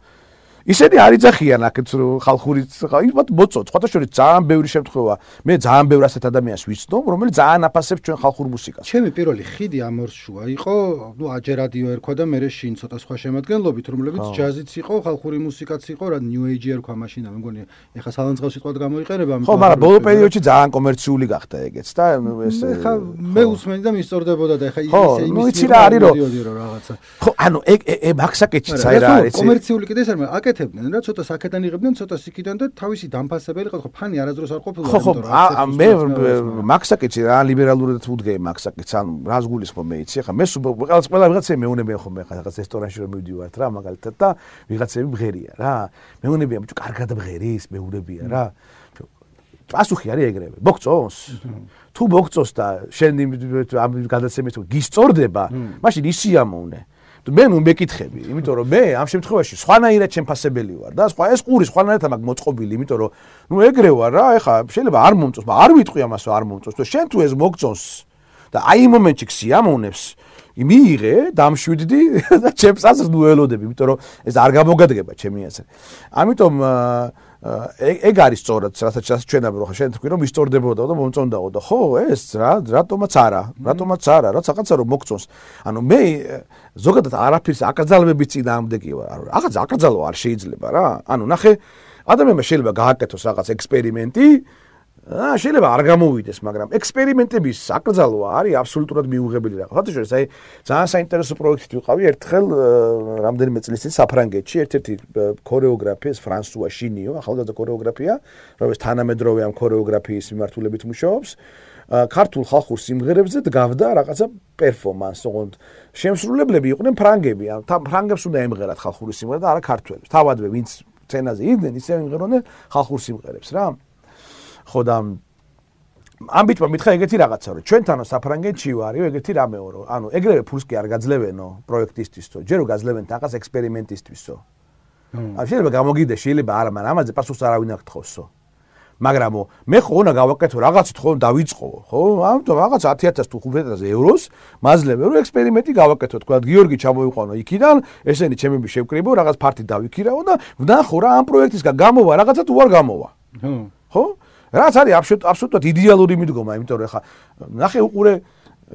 ისინი არ იძახიან აქეთ ხალხური იმათ მოწოთ, სხვათა შორის ძალიან ბევრი შემთხვევა მე ძალიან ბევრ ასეთ ადამიანს ვიცნობ, რომელიც ძალიან აფასებს ჩვენ ხალხურ მუსიკას. ჩემი პირველი ხიდი ამორსშუა იყო, ნუ აჯერ რადიო ერქვა და მე შინ ცოტა სხვა შემადგენლობით, რომლებიც ჯაზიც იყო, ხალხური მუსიკაც იყო, რა ნიუ ეიჯი ერქვა მაშინ, მე მგონი ეხა სალანძღავს სიტყვად გამოიყენება, ხო, მაგრამ ბოლო პერიოდში ძალიან კომერციული გახდა ეგეც და ეს ეხა მე უსმენდი და მისწორდებოდა და ეხა ისე იმის რა არის რომ რაღაცა. ხო, ანუ ეგ მაქსაკეთში აი რა არის. კომერციული კიდე ეს არ აკეთებდნენ რა, ცოტა საკეთან იღებდნენ, ცოტა სიკიდან და თავისი დამფასებელი იყო, ხო, ფანი არასდროს არ ყოფილა, იმიტომ რომ მე მაქსაკეთში რა ლიბერალურად ვუდგე მაქსაკეთს, ანუ რას გულისხმობ მე იცი, ხა მე ყველა ვიღაცები მეუნებიან ხოლმე ხა რაღაც რესტორანში რომ მივდივართ რა, მაგალითად და ვიღაცები მღერია რა. მეუნებიან, ბიჭო, კარგად მღერის, მეუნებიან რა. პასუხი არის ეგრევე. მოგწონს? თუ მოგწონს და შენ ამ გადაცემით გისწორდება, მაშინ ისიამოვნე. მე ნუ მეკითხები, იმიტომ რომ მე ამ შემთხვევაში სხვანაირად შემფასებელი ვარ და ეს ყური სხვანაირად მაქვს მოწყობილი, იმიტომ რომ ნუ ეგრე ვარ რა, ეხა შეიძლება არ მომწონს, მაგრამ არ ვიტყვი ამას რომ არ მომწონს, თუ შენ თუ ეს მოგწონს და აი იმ მომენტში ქსიამოვნებს, მიიღე, დამშვიდდი და ჩემს აზრს ნუ ველოდები, იმიტომ რომ ეს არ გამოგადგება ჩემი აზრით. ამიტომ ეგ არის სწორად, რასაც ჩვენ ამბობ, ხო, შენ თქვი რომ ისტორდებოდა და მომწონდაო და ხო, ეს რატომაც არა, რაც რაღაცა რომ მოგწონს. ანუ მე ზოგადად არაფერს აკრძალვების წინააღმდეგი ვარ. რაღაც აკრძალვა არ შეიძლება რა. ანუ ნახე, ადამიანმა შეიძლება გააკეთოს რაღაც ექსპერიმენტი, შეიძლება არ გამოვიდეს, მაგრამ ექსპერიმენტების აკრძალვა არის აბსოლუტურად მიუღებელი რაღაც. ხოთი შეიძლება აი ძალიან საინტერესო პროექტი ვიყავი ერთხელ რამდენიმე წლის წინ საფრანგეთში, ერთ-ერთი ქორეოგრაფია, ფრანსუა შინიო, ახალგაზრდა ქორეოგრაფია, რომელიც თანამედროვე ამ ქორეოგრაფიის მიმართულებით მუშაობს. ქართულ ხალხურ სიმღერებზე დგავდა რაღაცა პერფორმანსი, ოღონდ შემსრულებლები იყვნენ ფრანგები, ან ფრანგებს უნდა ემღერათ ხალხური სიმღერა და არა ქართველებს. თავადვე ვინც სცენაზე იდგნენ, ისე იმღეროდნენ ხალხურ სიმღერებს რა. ხო და ამ ბიჭმა მითხრა ეგეთი რაღაცა რომ ჩვენთანო საფრანგეთში ვარიო ეგეთი რამეო რომ ანუ ეგრევე ფულს კი არ გაძლევენო პროექტისთვისო ჯერო გაძლევენ რაღაც ექსპერიმენტისთვისო ან შეიძლება გამოგიდე შეიძლება არა მაგრამ ამაზე პასუხს არავინ არ გთხოვსო მაგრამ მე ხო უნდა გავაკეთო რაღაცით ხო დავიწყო ხო ამიტომ რაღაც 10000 თუ 50000 ევროს მაძლევე რომ ექსპერიმენტი გავაკეთო თქვა გიორგი ჩამოიყვანო იქიდან ესენი ჩემები შევკრიბო რაღაც ფარტი დავიქირაო და ვნახო რა ამ პროექტისგან გამოვა რაღაცა თუ არ გამოვა ხო რაც არის აბსოლუტურად იდეალური მიდგომა, იმიტომ რომ ხა ნახე უყურე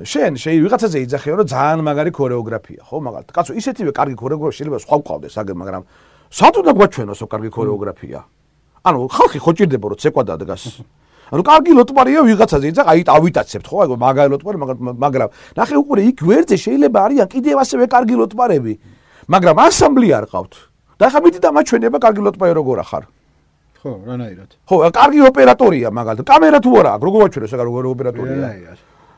შენ ვიღაცაზე იძახეო რომ ძალიან მაგარი ქორეოგრაფია, ხო, მაგალითად. კაცო, ისეთივე კარგი ქორეოგრაფია შეიძლება სხვა გვყავდეს, მაგრამ სად უნდა გვაჩვენოსო კარგი ქორეოგრაფია? ანუ ხალხი ხო ჭირდება რომ ცეკვა დადგას. ანუ კარგი ლოტმარია ვიღაცაზე იძახ, აი ავიტაცებთ, ხო, აი მაგარი ლოტმარი, მაგრამ ნახე უყურე იქ ვერძე შეიძლება არიან კიდევ ასევე კარგი ლოტმარები, მაგრამ ასამბლი არ ყავთ. და ხა მიდი დამაჩვენება კარგი ლოტმარი როგორ ახარ? ხო, რანაირად. ხო, კარგი ოპერატორია მაგალითად. კამერა თუ არა აქვს, როგორ ვაჩვენოს ეგ როგორ ოპერატორია?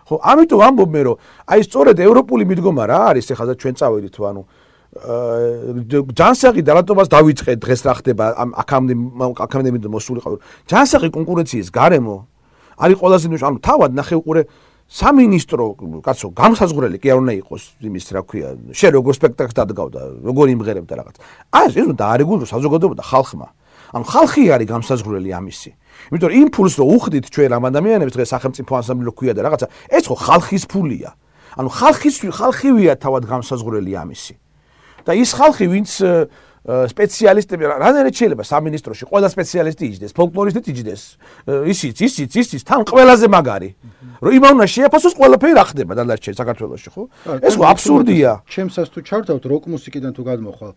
ხო, ამიტომ ამბობ მე რომ აი სწორედ ევროპული მიდგომა რა არის, ეხლა ჩვენ წავედით, ანუ ჯანსაღი და რატომაც დავიწყე დღეს რა ხდება ამ აკადემიიდან მოსულიყავ. ჯანსაღი კონკურენციის გარემო არის ყველაზე ანუ თავად ნახე უყურე სამინისტრო კაცო გამსაზღვრელი კი არ უნდა იყოს იმის რა ქვია შენ როგორ სპექტაკლს დადგავდა როგორ იმღერებდა რაღაც ეს უნდა დაარეგულო საზოგადოება და ხალხმა ანუ ხალხი არის გამსაზღვრელი ამისი იმიტომ რომ იმ ფულს რო უხდით ჩვენ ამ ადამიანებს დღეს სახელმწიფო ანსამბლი ქვია და რაღაცა ეს ხო ხალხის ფულია ანუ ხალხივია თავად გამსაზღვრელი ამისი და ის ხალხი ვინც სპეციალისტები რანაირად შეიძლება სამინისტროში ყველა სპეციალისტი იჯდეს ფოლკლორისტი იჯდეს ისიც თან ყველაზე მაგარი რომ იმავნა შეაფასოს ყველაფერი რა ხდება დანარჩენ საქართველოში ხო ეს ხო აბსურდია ჩემსაც თუ ჩავთავთ როკ მუსიკიდან თუ გადმოხვალ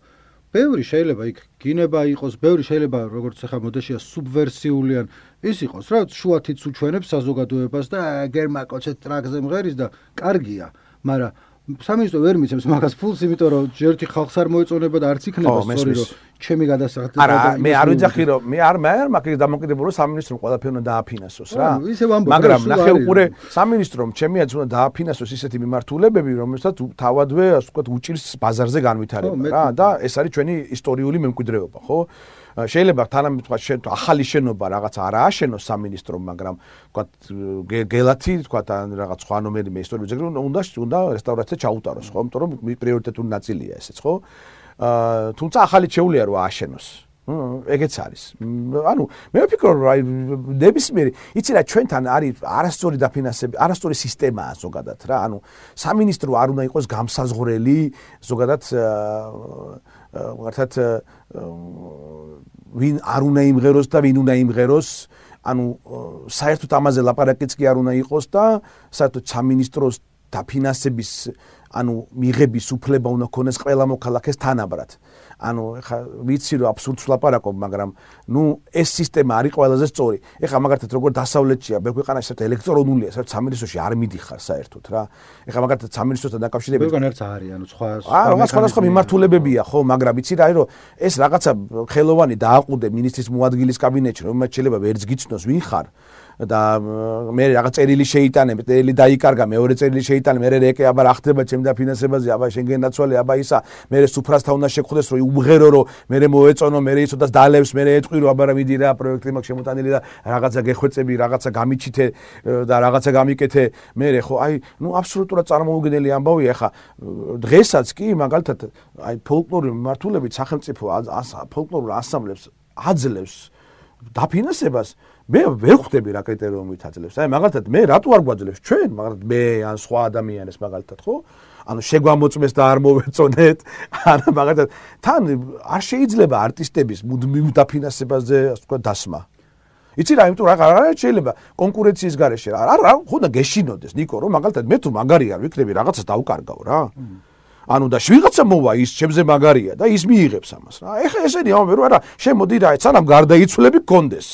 ბევრი შეიძლება იქ გინება იყოს ბევრი შეიძლება როგორც ახლა მოდაშია სუბვერსიული ან ის იყოს რა შუათიც უჩვენებს საზოგადოებას და გერმაკოცეთ ტრაკზე მღერის და კარგია მაგრამ სამინისტრო ვერ მიცემს მაგას ფულს, იმიტომ რომ ჯერთი ხალხს არ მოეწონება და არც იქნება სწორი რომ ჩემი გადასახადი არა, მე არ ვიძახი რომ მე არ მაგის დამოკიდებულება რომ სამინისტრომ ყველაფერი უნდა დააფინანსოს რა. მაგრამ ნახე უყურე სამინისტრომ ჩემიაც უნდა დააფინანსოს ისეთი მიმართულებები, რომელსაც თავადვე ასე ვთქვათ უჭირს ბაზარზე განვითარება რა და ეს არის ჩვენი ისტორიული მემკვიდრეობა, ხო? შეიძლება თანამედროვე თქვა ახალი შენობა რაღაც არ ააშენოს სამინისტრომ, მაგრამ თქვა გელათი თქვა ან რაღაც სხვა ნომერი მე ისტორიული ძეგლი უნდა რესტავრაცია ჩაუტაროს, ხო? იმიტომ რომ პრიორიტეტული ნაწილია ესეც, ხო? თუმცა ახალი შეუძლია რომ ააშენოს. ეგეც არის. ანუ მე ვფიქრობ რომ ნებისმიერი, იცი რა ჩვენთან არის არასწორი დაფინანსება, არასწორი სისტემაა ზოგადად რა. ანუ სამინისტრო არ უნდა იყოს გამსაზღვრელი ზოგადად მართლაც ვინ არ უნდა იმღეროს და ვინ უნდა იმღეროს ანუ საერთოდ ამაზე ლაპარაკიც კი არ უნდა იყოს და საერთოდ სამინისტროს დაფინანსების ანუ მიღების უფლება უნდა ქონდეს ყველა მოქალაქეს თანაბრად. ანუ ეხა ვიცი რომ აბსურდს ვლაპარაკობ, მაგრამ ნუ ეს სისტემა არის ყველაზე სწორი. ეხა მაგალითად როგორ დასავლეთშია, ბევრ ქვეყანაში საერთოდ ელექტრონულია, საერთოდ სამინისტროში არ მიდიხარ საერთოდ რა. ეხა მაგალითად სამინისტროსთან დაკავშირებით ბევრგან არც არის, ანუ სხვა მიმართულებებია ხო, მაგრამ ვიცი რა არის რომ ეს რაღაცა ხელოვანი დააყუდე მინისტრის მოადგილის კაბინეტში, რომელმაც შეიძლება ვერც გიცნოს ვინ ხარ. და მე რაღაც წერილი შეიტანებ, წერილი დაიკარგა, მეორე წერილი შეიტანე, მე რეკე აბა რა ხდება ჩემ დაფინანსებაზე, აბა შენ გენაცვალე, აბა ისა, მე სუფრასთან უნდა შეგხვდეს, რომ უმღერო, რომ მე მოეწონო, მე იცოდას დალევს, მე ეტყვი რომ აბა რა მიდი რა პროექტი მაქვს შემოტანილი და რაღაცა გეხვეწები, რაღაცა გამიჩითე და რაღაცა გამიკეთე, მე ხო, აი, ნუ აბსოლუტურად წარმოუდგენელი ამბავია, ხა დღესაც კი მაგალითად აი ფოლკლორული მიმართულებით სახელმწიფო ფოლკლორულ ანსამბლებს აძლევს დაფინანსებას მე ვერ ხვდები რა კრიტერიუმით აძლევს. აი მაგალითად მე რატო არ გვაძლევს ჩვენ, მაგრამ მე ან სხვა ადამიანებს მაგალითად ხო? ანუ შეგვამოწმეს და არ მოვეწონეთ. ანუ მაგალითად თან არ შეიძლება არტისტების მუდმივ დაფინანსებაზე ასე ვთქვათ დასმა. იცი რა, იმიტომ რა შეიძლება კონკურენციის გარეშე რა ხო და გეშინოდეს ნიკო რომ მაგალითად მე თუ მაგარი არ ვიქნები რაღაცას დავკარგავ რა. ანუ და ვიღაცა მოვა ის ჩემზე მაგარია და ის მიიღებს ამას რა. ეხა ესენი ამბობენ რომ არა, შემოდი რა, სანამ გარდაიცვლები გქონდეს.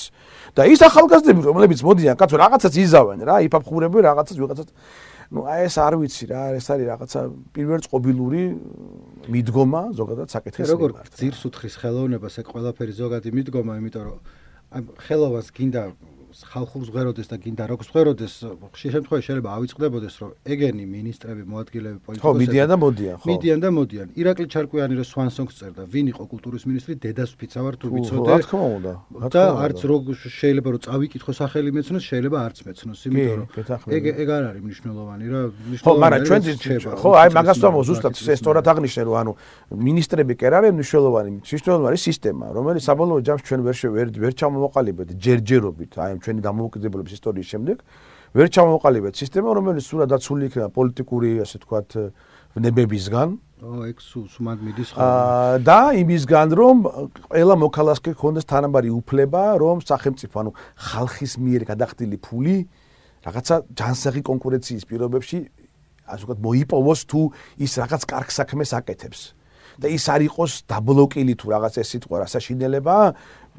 და ის ახალგაზრდები რომლებიც მოდიან, კაცო რაღაცას იზავენ რა, იფაფხურებენ რაღაცას ვიღაცას. ნუ აი ეს არ ვიცი რა, ეს არის რაღაცა პირველწყობილური მიდგომა ზოგადად საკითხის მიმართ. როგორ ძირს უთხრის ხელოვნებას ეგ ყველაფერი ზოგადი მიდგომა, იმიტომ რომ აი ხელოვანს გინდა ხალხურ ზღეროდეს და გინდა როკს ზღეროდეს, ხშირ შემთხვევაში შეიძლება ავიწყდებოდეს, რომ ეგენი მინისტრები, მოადგილეები, პოლიტიკოსები ხო, მიდიან და მოდიან, ხო. მიდიან და მოდიან. ირაკლი ჩარკვიანი რო სვანსონგს წერდა, ვინ იყო კულტურის მინისტრი, დედას ვფიცავარ თუ ვიცოდე. რა თქმა უნდა. და არც რო შეიძლება რომ წავიკითხო სახელი მეცნოს, შეიძლება არც მეცნოს, იმიტომ რომ ეგ არ არის მნიშვნელოვანი რა. ხო, მაგრამ ჩვენ ხო, აი მაგას ვამბობ ზუსტად ეს სწორად აღნიშნე, რომ ანუ მინისტრები კი არ არის მნიშვნელოვანი, მნიშვნელოვანი არის სისტემა, რომელიც საბოლოო ჯამს ჩვენ ვერ ჩამოვაყალიბეთ ჯერჯერობით, აი ჩვენი დამოუკიდებლობის ისტორიის შემდეგ ვერ ჩამოვაყალიბეთ სისტემა, რომელიც სულად დაცული იქნება პოლიტიკური, ასე ვთქვათ, ვნებებისგან. ეგ სუმად მიდის ხო? და იმისგან, რომ ყველა მოქალაქეს ქონდეს თანაბარი უფლება, რომ სახელმწიფო, ანუ ხალხის მიერ გადახდილი ფული რაღაცა ჯანსაღი კონკურენციის პირობებში, ასე ვთქვათ, მოიპოვოს თუ ის რაღაც კარგ საქმეს აკეთებს. და ის არ იყოს დაბლოკილი თუ რაღაც ეს სიტყვა რასაშინელება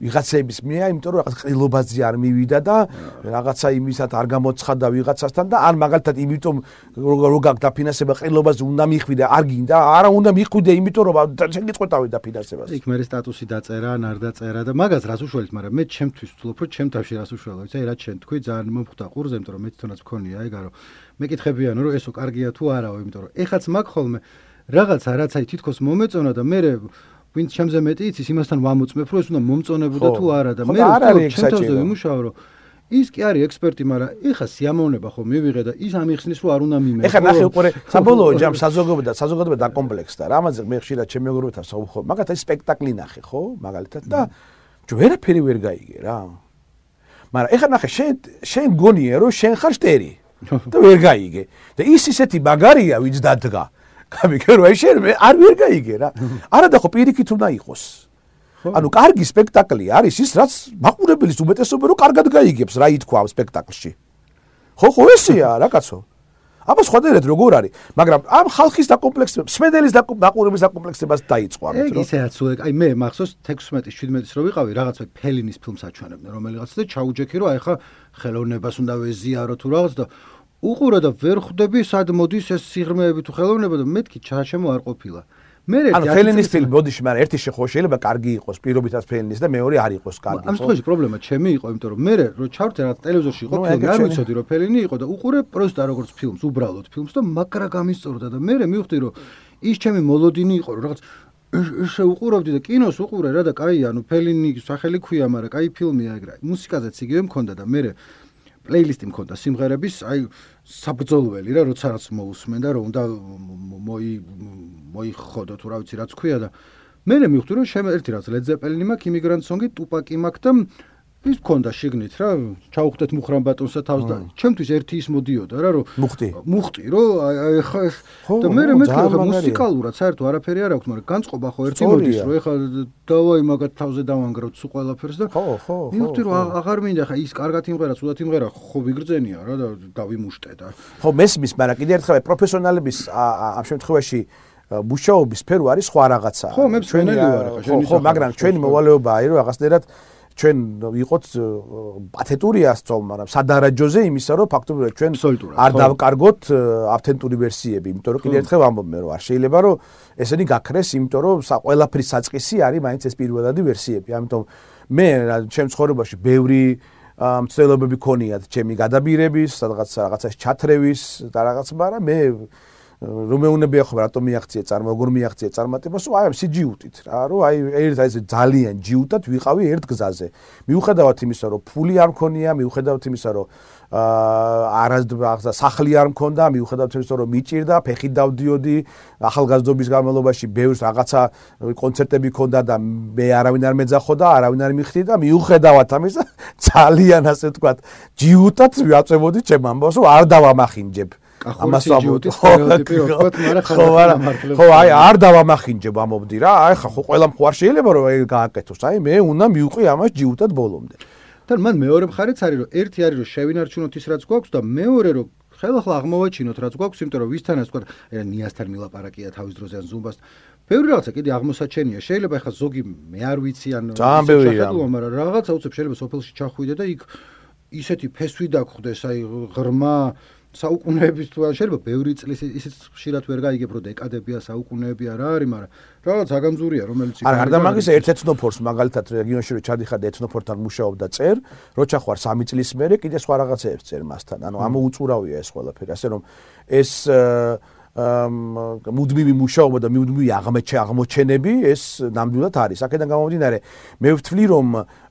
ვიღაცების მიერ, იმიტომ რომ რაღაც ყრილობაზე არ მივიდა და რაღაცა იმისად არ გამოცხადა ვიღაცასთან და ან მაგალითად იმიტომ რომ გაქვს დაფინანსება ყრილობაზე უნდა მიხვიდე, არ გინდა, არა უნდა მიხვიდე, იმიტომ რომ შენ გიწყვეტავი დაფინანსებას. იქ მე სტატუსი დაწერა, არ დაწერა და მაგას რას უშველით, მაგრამ მე ჩემთვის ვთვლობ, რომ ჩემ თავში რას უშველო, იცი, რაც შენ თქვი, ძალიან მომხვდა ყურზე, იმიტომ რომ მე თვითონაც მქონია ეგა, რომ მეკითხებიან, რომ ესო კარგია თუ არაო, იმიტომ რომ ეხაც მაგ ხოლმე რაღაცა რაც აი თითქოს მომეწონა და მე ვინც ჩემზე მეტი იცის იმასთან ვამოწმებ რომ ეს უნდა მომწონებოდა თუ არა და მე ჩემთანზე ვიმუშაო რომ ის კი არის ექსპერტი, მაგრამ ეხა სიამოვნება ხო მივიღე და ის ამიხსნის რომ არ უნდა მიმეყო. ეხა ნახე უკვე საბოლოო ჯამ საზოგადოება დაკომპლექსდა. რამაზე მე ხშირად ჩემი მეგობრებთან საუბრობ, მაგათ ეს სპექტაკლი ნახე ხო, მაგალითად და ვერაფერი ვერ გაიგე რა. მაგრამ ეხა ნახე შენ გონია რომ შენ ხარ შტერი და ვერ გაიგე. და ის ისეთი მაგარია ვინც დადგა. გამიგე რომ შენ არ ვერ გაიგე რა. არადა ხო პირიქით უნდა იყოს. ანუ კარგი სპექტაკლი არის ის რაც მაყურებლის უმეტესობა რომ კარგად გაიგებს რა ითქვა სპექტაკლში. ხო ესეა რა კაცო. აბა სხვადასხვა როგორ არის, მაგრამ ამ ხალხის დაკომპლექსება, სმედელის მაყურებლის დაკომპლექსებას დაიწყო ამით რომ. ისეაც აი მე მახსოვს 16-17-ის რო ვიყავი რაღაცა ფელინის ფილმს აჩვენებდნენ რომელიღაც და ჩაუჯექი რომ აი ხა ხელოვნებას უნდა ვეზიარო თუ რაღაც და უყურე და ვერ ხვდები სად მოდის ეს სიღრმეები თუ ხელოვნება და მეთქი ჩაჩემო არ ყოფილა. ანუ ფელინის ფილმი ბოდიში, მაგრამ ერთი ხო შეიძლება კარგი იყოს, პირობითაც ფელინის და მეორე არ იყოს კარგი. ამ შემთხვევაში პრობლემა ჩემი იყო, იმიტომ რომ მე რო ჩავრდე რა ტელევიზორში იყო ფილმი, არ ვიცოდი რომ ფელინი იყო და უყურე პროსტა როგორც ფილმს, უბრალოდ ფილმს და მაგრა გამისწორდა და მე მივხვდი რომ ის ჩემი მოლოდინი იყო რომ რაღაც ესე უყურავდი და კინოს უყურე რა და კაი ანუ ფელინი სახელი ქვია, მაგრამ კაი ფილმია ეგრე. მუსიკაზეც იგივე მქონდა და მე პლეილისტი მქონდა სიმღერების, აი საბრძოლველი რა, როცა რაც მოусმენ და რომ უნდა მოიხოდო თუ რა ვიცი რაც ქვია და მე მივხვდი რომ ერთი რაც Led Zeppelin-ი მაქვს, Immigrant Song-ი, Tupac-ი მაქვს და ის მქონდა შიგნით რა, ჩაუხდეთ მუხრან ბატონსა თავს და ჩემთვის ერთი ის მოდიოდა რა რომ მუხტი რომ აი ხა და მე მეთქი რომ მუსიკალურად საერთოდ არაფერი არ აქვს, მაგრამ განწყობა ხო ერთი მოდის რომ ეხა დავაი მაგათ თავზე დავანგროთ სულ ყველაფერს და ხო მივხვდი რომ აღარ მინდა ხა ის კარგად იმღერა, ცუდად იმღერა, ხო ვიგრძენია რა და დავიმუშტე და ხო მესმის, მაგრამ კიდევ ერთხელ პროფესიონალების ამ შემთხვევაში მუშაობის სფერო არის სხვა რაღაცა. ხო, მე ჩვენი ვარ ხა, ხო, მაგრამ ჩვენი მოვალეობაა რომ რაღაცნაირად ჩვენ ვიყოთ პათეტურია სწავლ, მაგრამ სადარაჯოზე იმისა რომ ფაქტობრივად ჩვენ არ დავკარგოთ ავთენტური ვერსიები, იმიტომ რომ კიდევ ერთხელ ვამბობ მე რომ არ შეიძლება რომ ესენი გაქრეს, იმიტომ რომ ყველაფრის საწყისი არის მაინც ეს პირველადი ვერსიები. ამიტომ მე ჩემ ცხოვრებაში ბევრი მცდელობები ქონიათ, ჩემი გადაბირების, რაღაცას ჩათრევის და რაღაც, მაგრამ მე რომ მეუნებია ხო რატომ მიაღწია როგორ მიაღწია წარმატებას, აი ამ სიჯიუტით რა, რომ აი ეს ძალიან ჯიუტად ვიყავი ერთ გზაზე. მიუხედავად იმისა, რომ ფული არ მქონია, მიუხედავად იმისა, რომ სახლი არ მქონდა, მიუხედავად იმისა, რომ მიჭირდა, ფეხით დავდიოდი, ახალგაზრდობის განმავლობაში ბევრს რაღაცა კონცერტები მქონდა და მე არავინ არ მეძახოდა, არავინ არ მიხდი და მიუხედავად ამისა, ძალიან ასე ვთქვათ, ჯიუტად ვიაწევოდი ჩემ ამბავს, რომ არ დავამახინჯებ. ამას ვამბობდი სტერეოტიპი ვთქვათ, მაგრამ ხო აი არ დავამახინჯებ ამობდი რა, აი ხო ყველამ ხო არ შეიძლება რომ გააკეთოს, აი მე უნდა მივყვი ამას ჯიუტად ბოლომდე. და მან მეორე მხარეც არის რომ ერთი არის რომ შევინარჩუნოთ ის რაც გვაქვს და მეორე რომ ხელახლა აღმოვაჩინოთ რაც გვაქვს, იმიტომ რომ ვისთანაც ვთქვათ, ნიასთან მილაპარაკია თავის დროზე ან ზუმბასთან. ბევრი რაღაცა კიდე აღმოსაჩენია, შეიძლება ახლა ზოგი მე არ ვიცი ან ძალიან ბევრია, მაგრამ რაღაცა უცებ შეიძლება სოფელში ჩახვიდე და იქ ისეთი ფესვი დაგხვდეს, აი ღრმა საუკუნეების თუ შეიძლება ბევრი წლის ისიც ხშირად ვერ გაიგებ რომ დეკადებია საუკუნეებია რა არის, მაგრამ რაღაც აგამზურია რომელიც არა და მაგის ერთ ეთნოფორს მაგალითად რეგიონში რო ჩადიხარ ეთნოფორთან მუშაობ და წერ, რო ჩახვარ 3 წლის მერე კიდე სხვა რაღაცეებს წერ მასთან. ანუ ამოუწურავია ეს ყველაფერი, ასე რომ ეს მუდმივი მუშაობა და მუდმივი აღმოჩენები ეს ნამდვილად არის. აქედან გამომდინარე მე ვთვლი რომ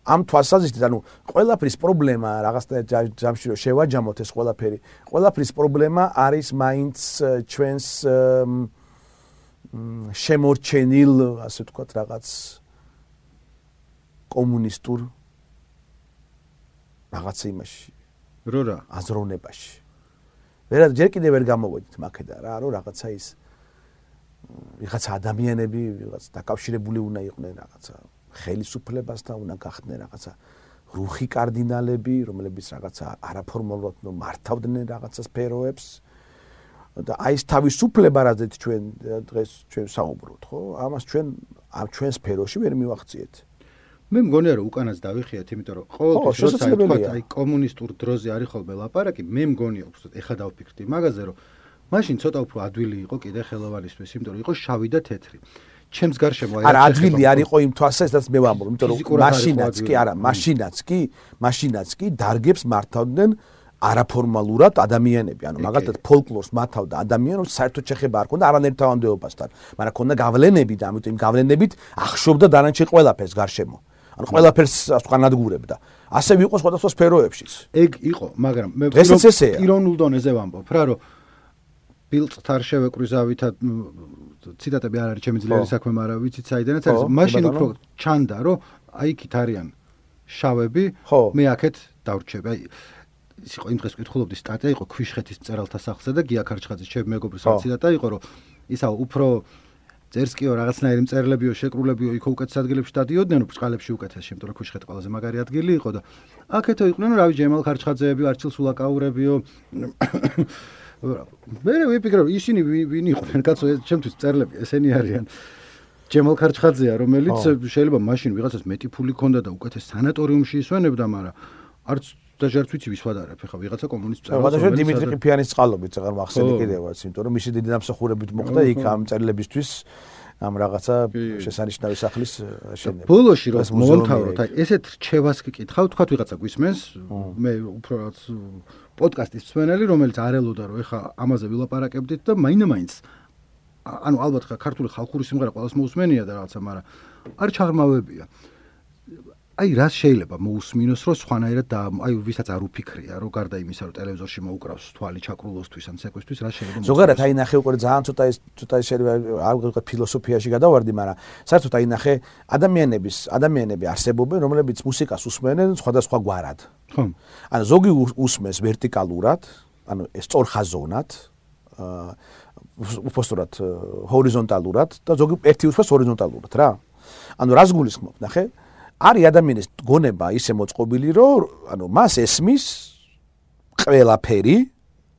ამ თვალსაზრისით, ანუ ყველაფრის პრობლემა რაღაცნაირად ჯამში რომ შევაჯამოთ ეს ყველაფრის პრობლემა არის მაინც ჩვენს შემორჩენილ, ასე ვთქვათ, რაღაც კომუნისტურ რაღაც იმაში, რა აზროვნებაში. ჯერ კიდევ ვერ გამოვედით მაქედან რა, რომ რაღაცა ის ვიღაცა ადამიანები ვიღაც დაკავშირებული უნდა იყვნენ რაღაცა ხელისუფლებასთან, უნდა გახდნენ რაღაცა რუხი კარდინალები, რომლებიც რაღაცა არაფორმალურად მართავდნენ რაღაცა სფეროებს და აი ეს თავისუფლება რაზეც ჩვენ დღეს ჩვენ საუბრობთ, ხო? ამას ჩვენ სფეროში ვერ მივახციეთ. მე მგონია რომ უკანაც დავიხიათ, იმიტომ რომ ყოველთვის როცა თქვათ აი კომუნისტურ დროზე არის ხოლმე ლაპარაკი, მე მგონია უბრალოდ ეხა დავფიქრდი მაგაზე რომ მაშინ ცოტა უფრო ადვილი იყო კიდე ხელოვანისთვის, იმიტომ რომ იყო შავი და თეთრი. ჩემს გარშემო არა ადვილი არ იყო იმ თვალსაზრისით მე ვამბობ, იმიტომ რომ მაშინაც კი დარგებს მართავდნენ არაფორმალურად ადამიანები, ანუ მაგალითად ფოლკლორს მათავდა ადამიანებს საერთოდ შეხება არ ქონდა არანაირ თავანდებობასთან, მაგრამ ქონდა გავლენები და ამიტომ იმ გავლენებით ახშობდა დანარჩენ ყველაფერს გარშემო. ანუ ყველაფერს განადგურებდა. ასე ვიყო სხვადასხვა სფეროებშიც. ეგ იყო, მაგრამ მე პიროვნულ დონეზე ვამბობ რა, რომ ბილწთ არ შევეკვიზავითად ციტატები არ არის ჩემი ძლიერი საქმე, მაგრამ ვიცით საიდანაც არის. მაშინ უფრო ჩანდა, რომ აი იქით არიან შავები, მე აქეთ დავრჩები. აი ის იყო იმ დღეს ვკითხულობდი სტატია იყო ქვიშხეთის მწერალთა სახლზე და გია ქარჩხაძის ჩემი მეგობრის ციტატა იყო, რომ ისა უფრო წერსკიო რაღაცნაირი მწერლებიო შეკრულებიო იქ უკეთეს ადგილებში დადიოდნენ, ბრწყალებში უკეთეს, იმიტომ რომ ქვიშხეთი ყველაზე მაგარი ადგილი იყო და აქეთო იყვნენ რავი ჯემალ ქარჩხაძეები, არჩილ სულაკაურებიო. მე ვიფიქრე რომ ისინი ვინ იყვნენ, კაცო, ჩემთვის მწერლები ესენი არიან. ჯემალ ქარჩხაძეა, რომელიც შეიძლება მაშინ ვიღაცას მეტი ფული ქონდა და უკეთეს სანატორიუმში ისვენებდა, მაგრამ არც დაჟარც ვიცი ვის ვადარებ, ხა ვიღაცა კომუნისტ მწერალს. მაგალითად დიმიტრი ყიფიანის წყალობით აღარ მახსენე კიდევაც, იმიტომ რომ მისი დიდი დამსახურებით მოხდა იქ ამ მწერლებისთვის ამ რაღაცა შესანიშნავი სახლის შენება. ბოლოში რომ მომთავროთ, აი ესეთ რჩევას გიკითხავ, თქვათ ვიღაცა გვისმენს, მე უფრო რაც პოდკასტის მსმენელი, რომელიც არ ელოდა რომ ეხა ამაზე ვილაპარაკებდით და მაინც ანუ ალბათ ხა ქართული ხალხური სიმღერა ყველას მოусმენია და რაღაცა, მაგრამ არ ჩაღრმავებია. აი რას შეიძლება მოусმინოს, რომ სხვანაირად და აი ვისაც არ უფიქრია, რომ გარდა იმისა, რომ ტელევიზორში მოუკრავს თვალი ჩაკრულოსთვის ან ცეკვისთვის, რა შეიძლება ზოგადად აი ნახე უკვე ძალიან ცოტა შეიძლება არ ვიყო ფილოსოფიაში გადავარდი, მაგრამ საერთოდ აი ნახე ადამიანები არსებობენ, რომლებიც მუსიკას უსმენენ სხვადასხვა გვარად. ხო. ანუ ზოგი უსმენს ვერტიკალურად, ანუ სწორხაზოვნად, უბრალოდ ჰორიზონტალურად და ზოგი ერთი უსმენს ჰორიზონტალურად რა. ანუ რას გულისხმობ, ნახე? არის ადამიანის გონება ისე მოწყობილი, რომ ანუ მას ესმის ყველაფერი,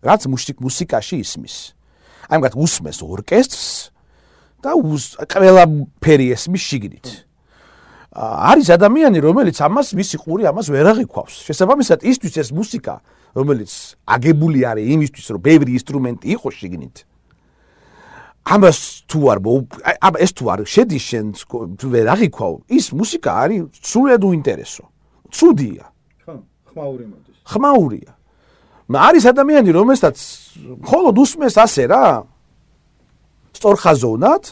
რაც მუსიკაში ისმის. აი მაგათ უსმენს ორკესტრს და ყველაფერი ესმის შიგნით. არის ადამიანი, რომელიც ამას მისი ყური ამას ვერ აღიქვავს. შესაბამისად, ისთვის ეს მუსიკა, რომელიც აგებული არის იმისთვის, რომ ბევრი ინსტრუმენტი იყოს შიგნით. ამას თუ არ ეს თუ არ შედის შენ ვერ აღიქვავ, ის მუსიკა არის სულად უინტერესო. ცუდია. ხო, ხმაური მოდის. ხმაურია. არის ადამიანი, რომელსაც მხოლოდ უსმენს ასე რა. სწორხაზოვნად,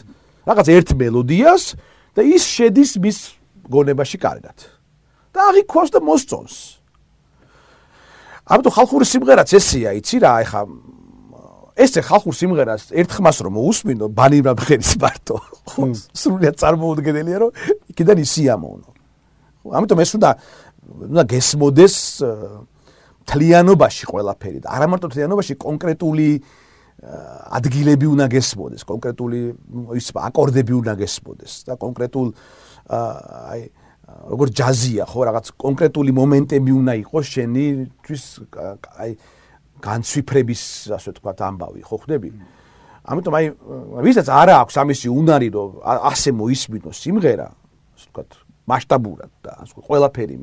რაღაც ერთ მელოდიას და ის შედის მის გონებაში კარგად. და აღიქვავს და მოსწონს. ამიტომ ხალხური სიმღერაც ესეა, იცი რა, ეხა ესე ხალხურ სიმღერას ერთხმას რომ მოусმინო ბანიბრა ბხერის მარტო სრულიად წარმოუდგენელია რომ იქიდან ისიამოვნო. ამიტომ ეს უნდა გესმოდეს თლიანობაში ყველაფერი და არა მარტო თლიანობაში კონკრეტული ადგილები უნდა გესმოდეს, კონკრეტული ის აკორდები უნდა გესმოდეს და კონკრეტულ აი როგორც ჯაზია ხო რაღაც კონკრეტული მომენტები უნდა იყოს შენთვის აი განცვიფრების ასე ვთქვათ ამბავი ხო ხდები? ამიტომ აი ვისაც არ აქვს ამისი უნარი რომ ასე მოისმინოს სიმღერა ასე ვთქვათ მასშტაბურად და ყველაფერი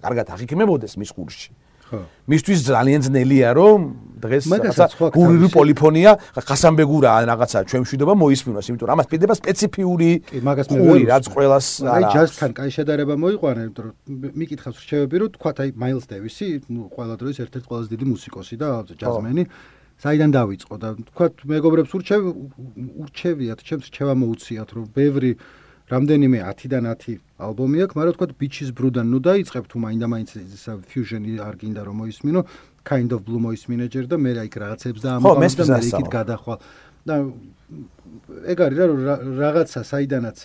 კარგად აღიქმებოდეს მის ყურში. ხო. მისთვის ძალიან ძნელია რომ დღეს რაღაცა გურული პოლიფონია ხასანბეგურა ან რაღაცა ჩვენ მშვიდობა მოისმინოს, იმიტომ რომ ამას პირდება სპეციფიური ყური რაც ყველას აი ჯაზთან კაი შედარება მოიყვანა, იმიტომ რომ მიკითხავს რჩევები რომ თქვათ აი მაილს დევისი, ნუ ყველა დროის ერთ-ერთი ყველაზე დიდი მუსიკოსი და ჯაზმენი საიდან დაიწყო და თქვათ მეგობრებს ურჩევიათ, ჩემს რჩევა მოუციათ რომ ბევრი რამდენიმე 10-დან 10 ალბომი აქვს, მაგრამ თქვა Beaches Brew-დან ნუ დაიწყებ თუ მაინდა-მაინც ისა fusion-ი არ გინდა რომ მოისმინო, Kind of Blue მოისმინე ჯერ და მე რა იქ რაღაცებს და ამბავ და მე იქით გადახვალ. და ეგ არის რა რაღაცა საიდანაც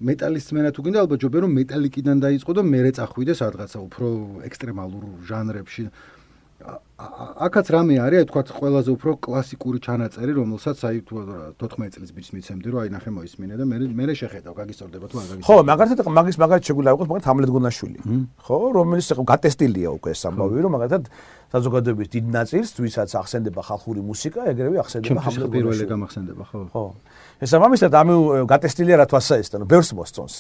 მეტალის წმენა თუ გინდა ალბათ ჯობია რომ მეტალიკიდან დაიწყო და მერე წახვიდეს რაღაცა უფრო ექსტრემალურ ჟანრებში. აქაც რამე არის, აი თქვა ყველაზე უფრო კლასიკური ჩანაწერი, რომელსაც აი 14 წლის ბიჭს მიცემდი, რომ აი ნახე მოისმინე და მე შეხედავ, გაგისწორდება თუ არ გაგისწორდება. ხო, მაგალითად მაგალითად შეგვიძლია იყოს მაგალითად ჰამლეტ გონაშვილი. ხო, რომელიც გატესტილია უკვე ეს ამბავი, რომ მაგალითად საზოგადოების დიდ ნაწილს, ვისაც ახსენდება ხალხური მუსიკა, ეგრევე ახსენდება ჰამლეტ გონაშვილი. პირველი გამახსენდება, ხო. ხო. შესაბამისად ამ გატესტილია რა თვალსაჩინო, ბევრს მოსწონს.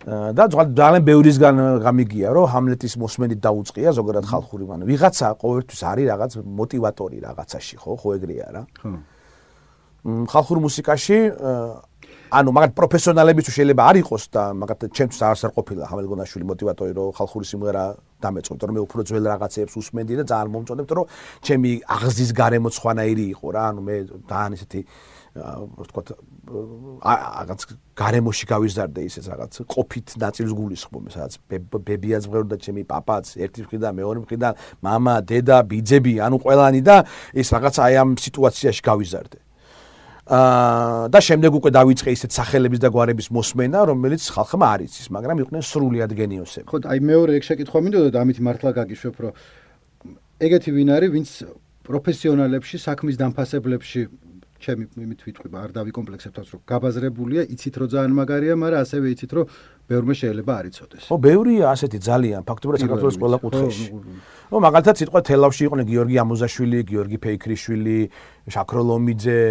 და ძალიან ბევრისგან გამიგია რომ ჰამლეტის მოსმენით დაუწყია ზოგადად ხალხური მან ვიღაცა ყოველთვის არის რაღაც მოტივატორი რაღაცაში ხო ეგრეა რა ხო ხალხურ მუსიკაში ანუ მაგათ პროფესიონალები თუ შეიძლება არ იყოს და მაგათ ჩემთვის არასდროს არ ყოფილა ხამელგონაშვილი მოტივატორი რომ ხალხური სიმღერა დამეწყვეტო რომ მე უფრო ძველ რაღაცეებს უსმენდი და ძალიან მომწონებთ რომ ჩემი აღზის გარემო სხვანაირი იყო რა ანუ მე ძალიან ისეთი ვთქვათ რაღაც გარემოში გავიზარდე ისეთ რაღაც ყოფით ნაწილს გულისხმობ სადაც ბებიაც მღეროდა ჩემი პაპაც ერთი მხრიდან მეორე მხრიდან მამა დედა ბიძები ანუ ყველანი და ეს რაღაც აი ამ სიტუაციაში გავიზარდე და შემდეგ უკვე დავიწყე ისეთ სახელების და გვარების მოსმენა რომელიც ხალხმა არ იცის მაგრამ იყვნენ სრულიად გენიოსები ხო აი მეორე ეგ შეკითხვა მინდოდა და ამით მართლა გაგიშვებ რომ ეგეთი ვინ არის ვინც პროფესიონალებში საქმის დამფასებლებში ჩემი იმით ვიტყვი არ დავიკომპლექსებთ თავს რომ გაბაზრებულია იცით რომ ძალიან მაგარია მაგრამ ასევე იცით რომ ბევრმა შეიძლება არ იცოდეს ხო ბევრია ასეთი ძალიან ფაქტობრივად საქართველოს ყველა კუთხეში ხო მაგალითად სიტყვა თელავში იყვნენ გიორგი ამოზაშვილი გიორგი ფეიქრიშვილი შაქროლომიძე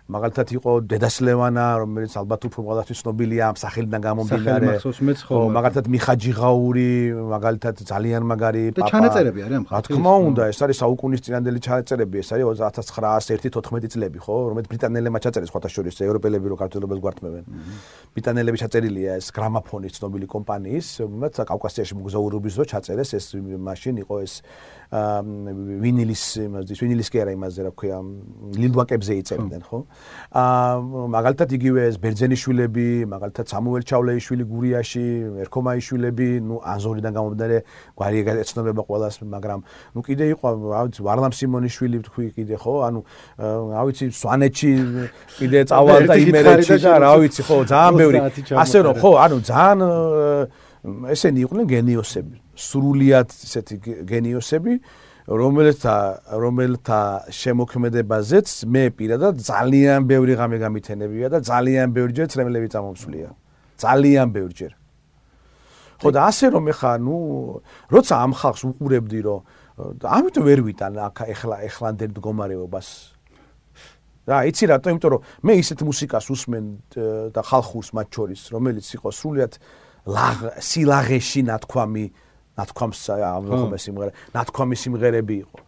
მაგალითად იყო დედას ლევანა რომელიც ალბათ უფრო ყველასთვის ცნობილია ამ სახელიდან გამომდინარე ხო მაგალითად მიხაჯიღაური მაგალითად ძალიან მაგარი პაპა და ჩანაწერები არის ამ ხალხის რა თქმა უნდა ეს არის საუკუნის წინანდელი ჩანაწერები ეს არის 1901-14 წლები ხო რომელიც ბრიტანელებმა ჩაწერეს სხვათა შორის ევროპელები რო ქართველებს გვართმევენ ბრიტანელები ჩაწერილია ეს გრამაფონის ცნობილი კომპანიის რომელიც კავკასიაში მოგზაურობის დრო ჩაწერეს ეს მაშინ იყო ეს ვინილის კი არა იმაზე რა ქვია ლილვაკებზე იწერდნენ ხო მაგალითად იგივე ეს ბერძენიშვილები მაგალითად სამუელ ჩავლეიშვილი გურიაში ერქომაიშვილები ნუ ანზორიდან გამომდინარე გვარი ეცნობება ყველას მაგრამ ნუ კიდე იყო რა ვიცი ვარლამ სიმონიშვილი თქვი კიდე ხო ანუ რა ვიცი სვანეთში კიდე წავალ და იმერეთში და რა ვიცი ხო ძალიან ბევრი ასე რომ ხო ანუ ძალიან ესენი იყვნენ გენიოსები სრულიად ესეთი გენიოსები რომელთა შემოქმედებაზეც მე პირადად ძალიან ბევრი ღამე გამითენებია და ძალიან ბევრჯერ ცრემლები წამომსვლია ძალიან ბევრჯერ ხო და ასე რომ ეხა ნუ როცა ამ ხალხს უყურებდი რომ ამიტომ ვერ ვიტან აქ ეხლანდელ მდგომარეობას რა იცი რატო იმიტომ რომ მე ისეთ მუსიკას ვუსმენ და ხალხურს მათ შორის რომელიც იყო სრულიად სილაღეში ნათქვამს ამხომე სიმღერა ნათქვამი სიმღერები იყო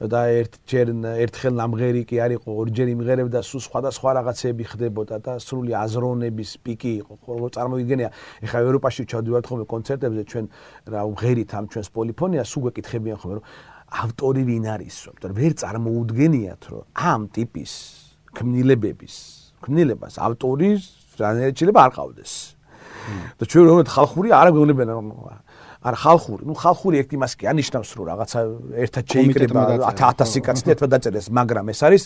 და ერთხელ ნამღერი კი არ იყო ორჯერ იმღერებდა სულ სხვადასხვა რაღაცები ხდებოდა და სრული აზროვნების პიკი იყო ხო წარმოგიდგენია ეხლა ევროპაში ჩავდივართ ხოლმე კონცერტებზე ჩვენ რა ვღერით ამ ჩვენს პოლიფონიას სულ გეკითხებიან ხოლმე რომ ავტორი ვინ არის რომ ვერ წარმოუდგენიათ რომ ამ ტიპის ქმნილებას ავტორის რანაირად შეიძლება არ ყავდეს და ჩვენ რომ ხალხური არ გვეუბნებიან არა ხალხური, ნუ ხალხური ერთ იმას კი ანიშნავს რომ რაღაცა ერთად შეიკრება 1000 კაცი ერთად დაწერეს, მაგრამ ეს არის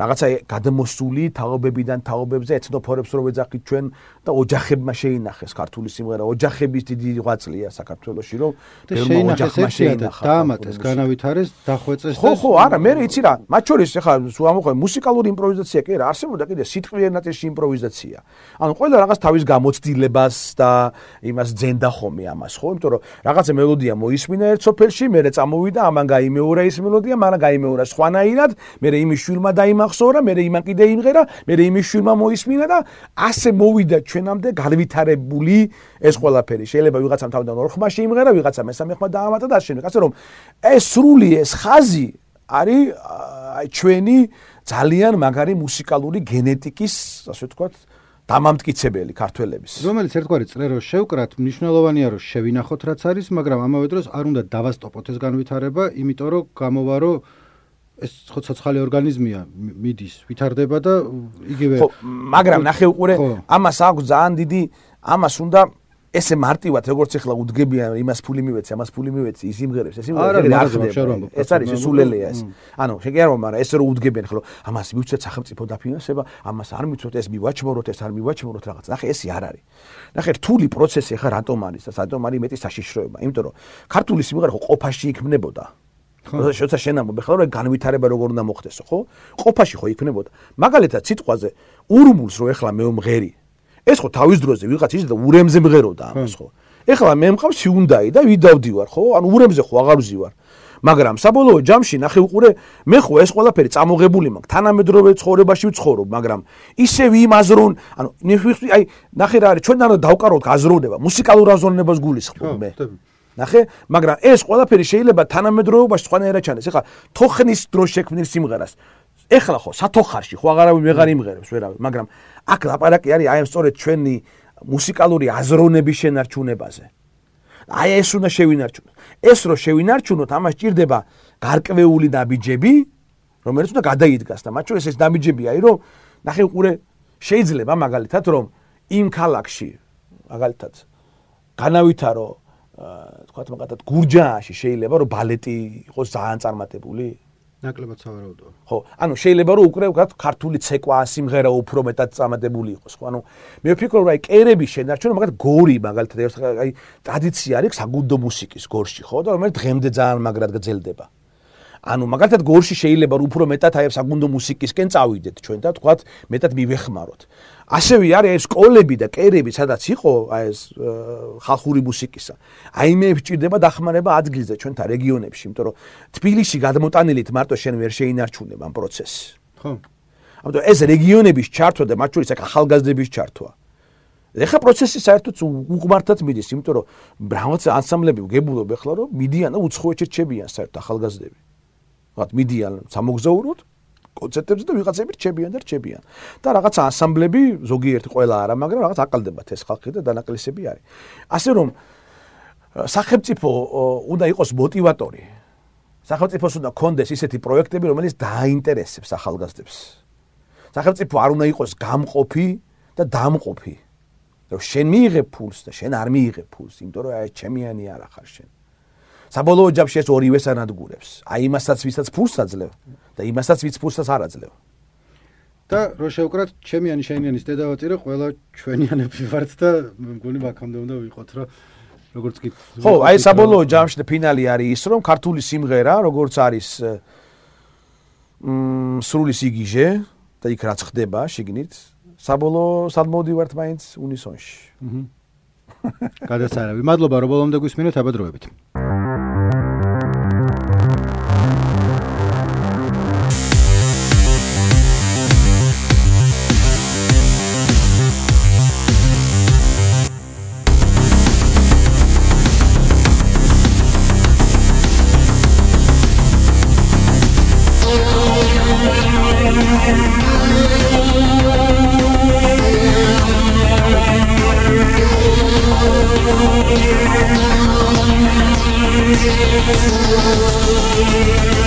რაღაცა გადმოსული თაობებიდან თაობებზე ეთნოფორებს რო ვეძახით ჩვენ და ოჯახებმა შეინახეს ქართული სიმღერა, ოჯახების დიდი ღვაწლია საქართველოში რომ ბევრმა ოჯახმა შეინახა. დაამატეს, განავითარეს, დახვეწეს და ხო, არა, მე იცი რა, მათ შორის ახლა სულ ამოხმე მუსიკალური იმპროვიზაცია კი რა, არსებობდა კიდე სიტყვიერ ნაწილში იმპროვიზაცია. ანუ ყველა რაღაც თავის გამოცდილებას და იმას ძენდა ხომე ამას, ხო? იმიტომ რომ რაღაცა მელოდია მოისმინა ერთ სოფელში, მერე წამოვიდა, ამან გაიმეორა ის მელოდია, მან გაიმეორა სხვანაირად, მერე იმის შვილმა დაიმახსოვრა, მერე იმან კიდე იმღერა, მერე იმის შვილმა მოისმინა და ასე მოვიდა ჩვენამდე განვითარებული ეს ყველაფერი. შეიძლება ვიღაცამ თავიდან ორ ხმა შეიმღერა, ვიღაცამ მესამე ხმა დაამატა და ასე ასე რომ ეს სრული ეს ხაზი არის ჩვენი ძალიან მაგარი მუსიკალური გენეტიკის, ასე ვთქვათ, დამამტკიცებელი ქართველების. რომელიც ერთგვარი წრე რო შევკრათ, მნიშვნელოვანია რომ შევინახოთ რაც არის, მაგრამ ამავე დროს არ უნდა დავასტოპოთ ეს განვითარება, იმიტომ რომ გამოვა რომ ეს ცოცხალი ორგანიზმია, მიდის, ვითარდება და იგივე ხო, მაგრამ ნახე უყურე, ამას აქვს ძალიან დიდი, ამას უნდა ესე მარტივად როგორც ახლა უდგებიან იმას ფული მივეცი, ამას ფული მივეცი, ის იმღერებს, ეს იმღერებს არ ხდება. ეს არის სულელეა ეს. ანუ შეგიარო, მაგრამ ეს რო უდგებიან ხოლმე, ამას მივცეთ სახელმწიფო დაფინანსება, ამას არ მივცეთ, ეს მივაჩმოროთ, ეს არ მივაჩმოროთ რაღაც. ნახე, ეს არ არის. ნახე, რთული პროცესი ახლა რატომ არის და რატომ არის მეტი საშიშროება? იმიტომ რომ ქართული სიმღერა ხო ყოფაში იქმნებოდა. როცა შენამობ ახლა რომ განვითარება როგორ უნდა მოხდესო, ხო? ყოფაში ხო იქმნებოდა. მაგალითად სიტყვაზე ურმულს რო ახლა მე ვმღერი ეს ხო თავის დროზე ვიღაც ის და ურემზე მღეროდა ამას ხო. ეხლა მე მყავს ჰიუნდაი და ვიდავდივარ ხო? ანუ ურემზე ხო აღარ ვზივარ. მაგრამ საბოლოო ჯამში ნახე უყურე მე ხო ეს ყველაფერი წამოღებული მაქვს. თანამედროვე ცხოვრებაში ვცხოვრობ, მაგრამ ისევ იმ აზრონ, ანუ აი ნახე რა არის, ჩვენ არ დავკაროთ აზროვნება, მუსიკალურ აზროვნებას გულისხმობ მე. ნახე, მაგრამ ეს ყველაფერი შეიძლება თანამედროვეობაში სხვანაირად ჩანდეს. ეხლა თოხნის დროს შექმნილ სიმღერას ეხლა ხო სათოხარში ხო აღარავინ ვეღარ იმღერებს ვერავინ, მაგრამ აქ ლაპარაკი არის აი ამ სწორედ ჩვენი მუსიკალური აზროვნების შენარჩუნებაზე. აი ეს უნდა შევინარჩუნოთ. ეს რო შევინარჩუნოთ, ამას ჭირდება გარკვეული ნაბიჯები, რომელიც უნდა გადაიდგას და მათ შორის ეს ნაბიჯები არის, რომ ნახე უყურე შეიძლება მაგალითად რომ იმ ქალაქში მაგალითად განავითარო თქვათ მაგათად გურჯაანში შეიძლება რომ ბალეტი იყოს ძალიან წარმატებული. ნაკლებად სავარაუდოა. ხო, ანუ შეიძლება რომ უკვე ვთქვათ ქართული ცეკვა, სიმღერა უფრო მეტად წარმატებული იყოს, ხო? ანუ მე ვფიქრობ რომ აი კერების შენარჩუნა მაგათ გორი მაგალითად აი ტრადიცია არის საგუნდო მუსიკის გორში, ხო? და რომელიც დღემდე ძალიან მაგრად გრძელდება. ანუ მაგალითად გორში შეიძლება რომ უფრო მეტად აი საგუნდო მუსიკისკენ წავიდეთ ჩვენ და თქვათ მეტად მივეხმაროთ. ასევე არის ეს სკოლები და კერები, სადაც იყო აი ეს ხალხური მუსიკისა. აი მე ვჭირდება დახმარება ადგილზე ჩვენთან რეგიონებში, იმიტომ რომ თბილისში გადმოტანილით მარტო შენ ვერ შეინარჩუნებ ამ პროცესს. ხო. ამიტომ ეს რეგიონების ჩართვა და მათ შორის აქ ახალგაზრდების ჩართვა. ეხლა პროცესი საერთოდ უყმართად მიდის, იმიტომ რომ რაღაც ანსამბლები ვგებულობ ეხლა რომ მიდიან და უცხოეთში რჩებიან საერთოდ ახალგაზრდები. ვთქვათ მიდიან სამოგზაუროდ კონცერტებზე და ვიღაცები რჩებიან და რაღაც ანსამბლები ზოგიერთი ყველა არა, მაგრამ რაღაც აყალდებათ ეს ხალხი და დანაკლისები არის. ასე რომ სახელმწიფო უნდა იყოს მოტივატორი. სახელმწიფოს უნდა კონდეს ისეთი პროექტები, რომელიც დააინტერესებს ახალგაზრდებს. სახელმწიფო არ უნდა იყოს გამყოფი და დამყოფი. რომ შენ მიიღებ ფულს და შენ არ მიიღებ ფულს, იმიტომ რომ აი ჩემიანი არ ახარ შენ. საბოლოო ჯამში ეს ორივეს ანადგურებს. აი იმასაც ვისაც ფულს აძლევ და იმასაც ვიც ფულსაც არ აძლევ. და რო შევკრათ ჩემიანი შენიანის დედავაწირე ყველა ჩვენიანები ვართ და მგონი მაგამდე უნდა ვიყოთ რომ როგორც კი ხო, აი საბოლოო ჯამში და ფინალი არის ის რომ ქართული სიმღერა როგორც არის სრული სიგიჟე და იქ რაც ხდება შიგნით საბოლოო სად მოვდივართ მაინც უნისონში. გადასარავი. მადლობა რომ ბოლომდე გვისმინეთ, აბადროებით. We'll be right back.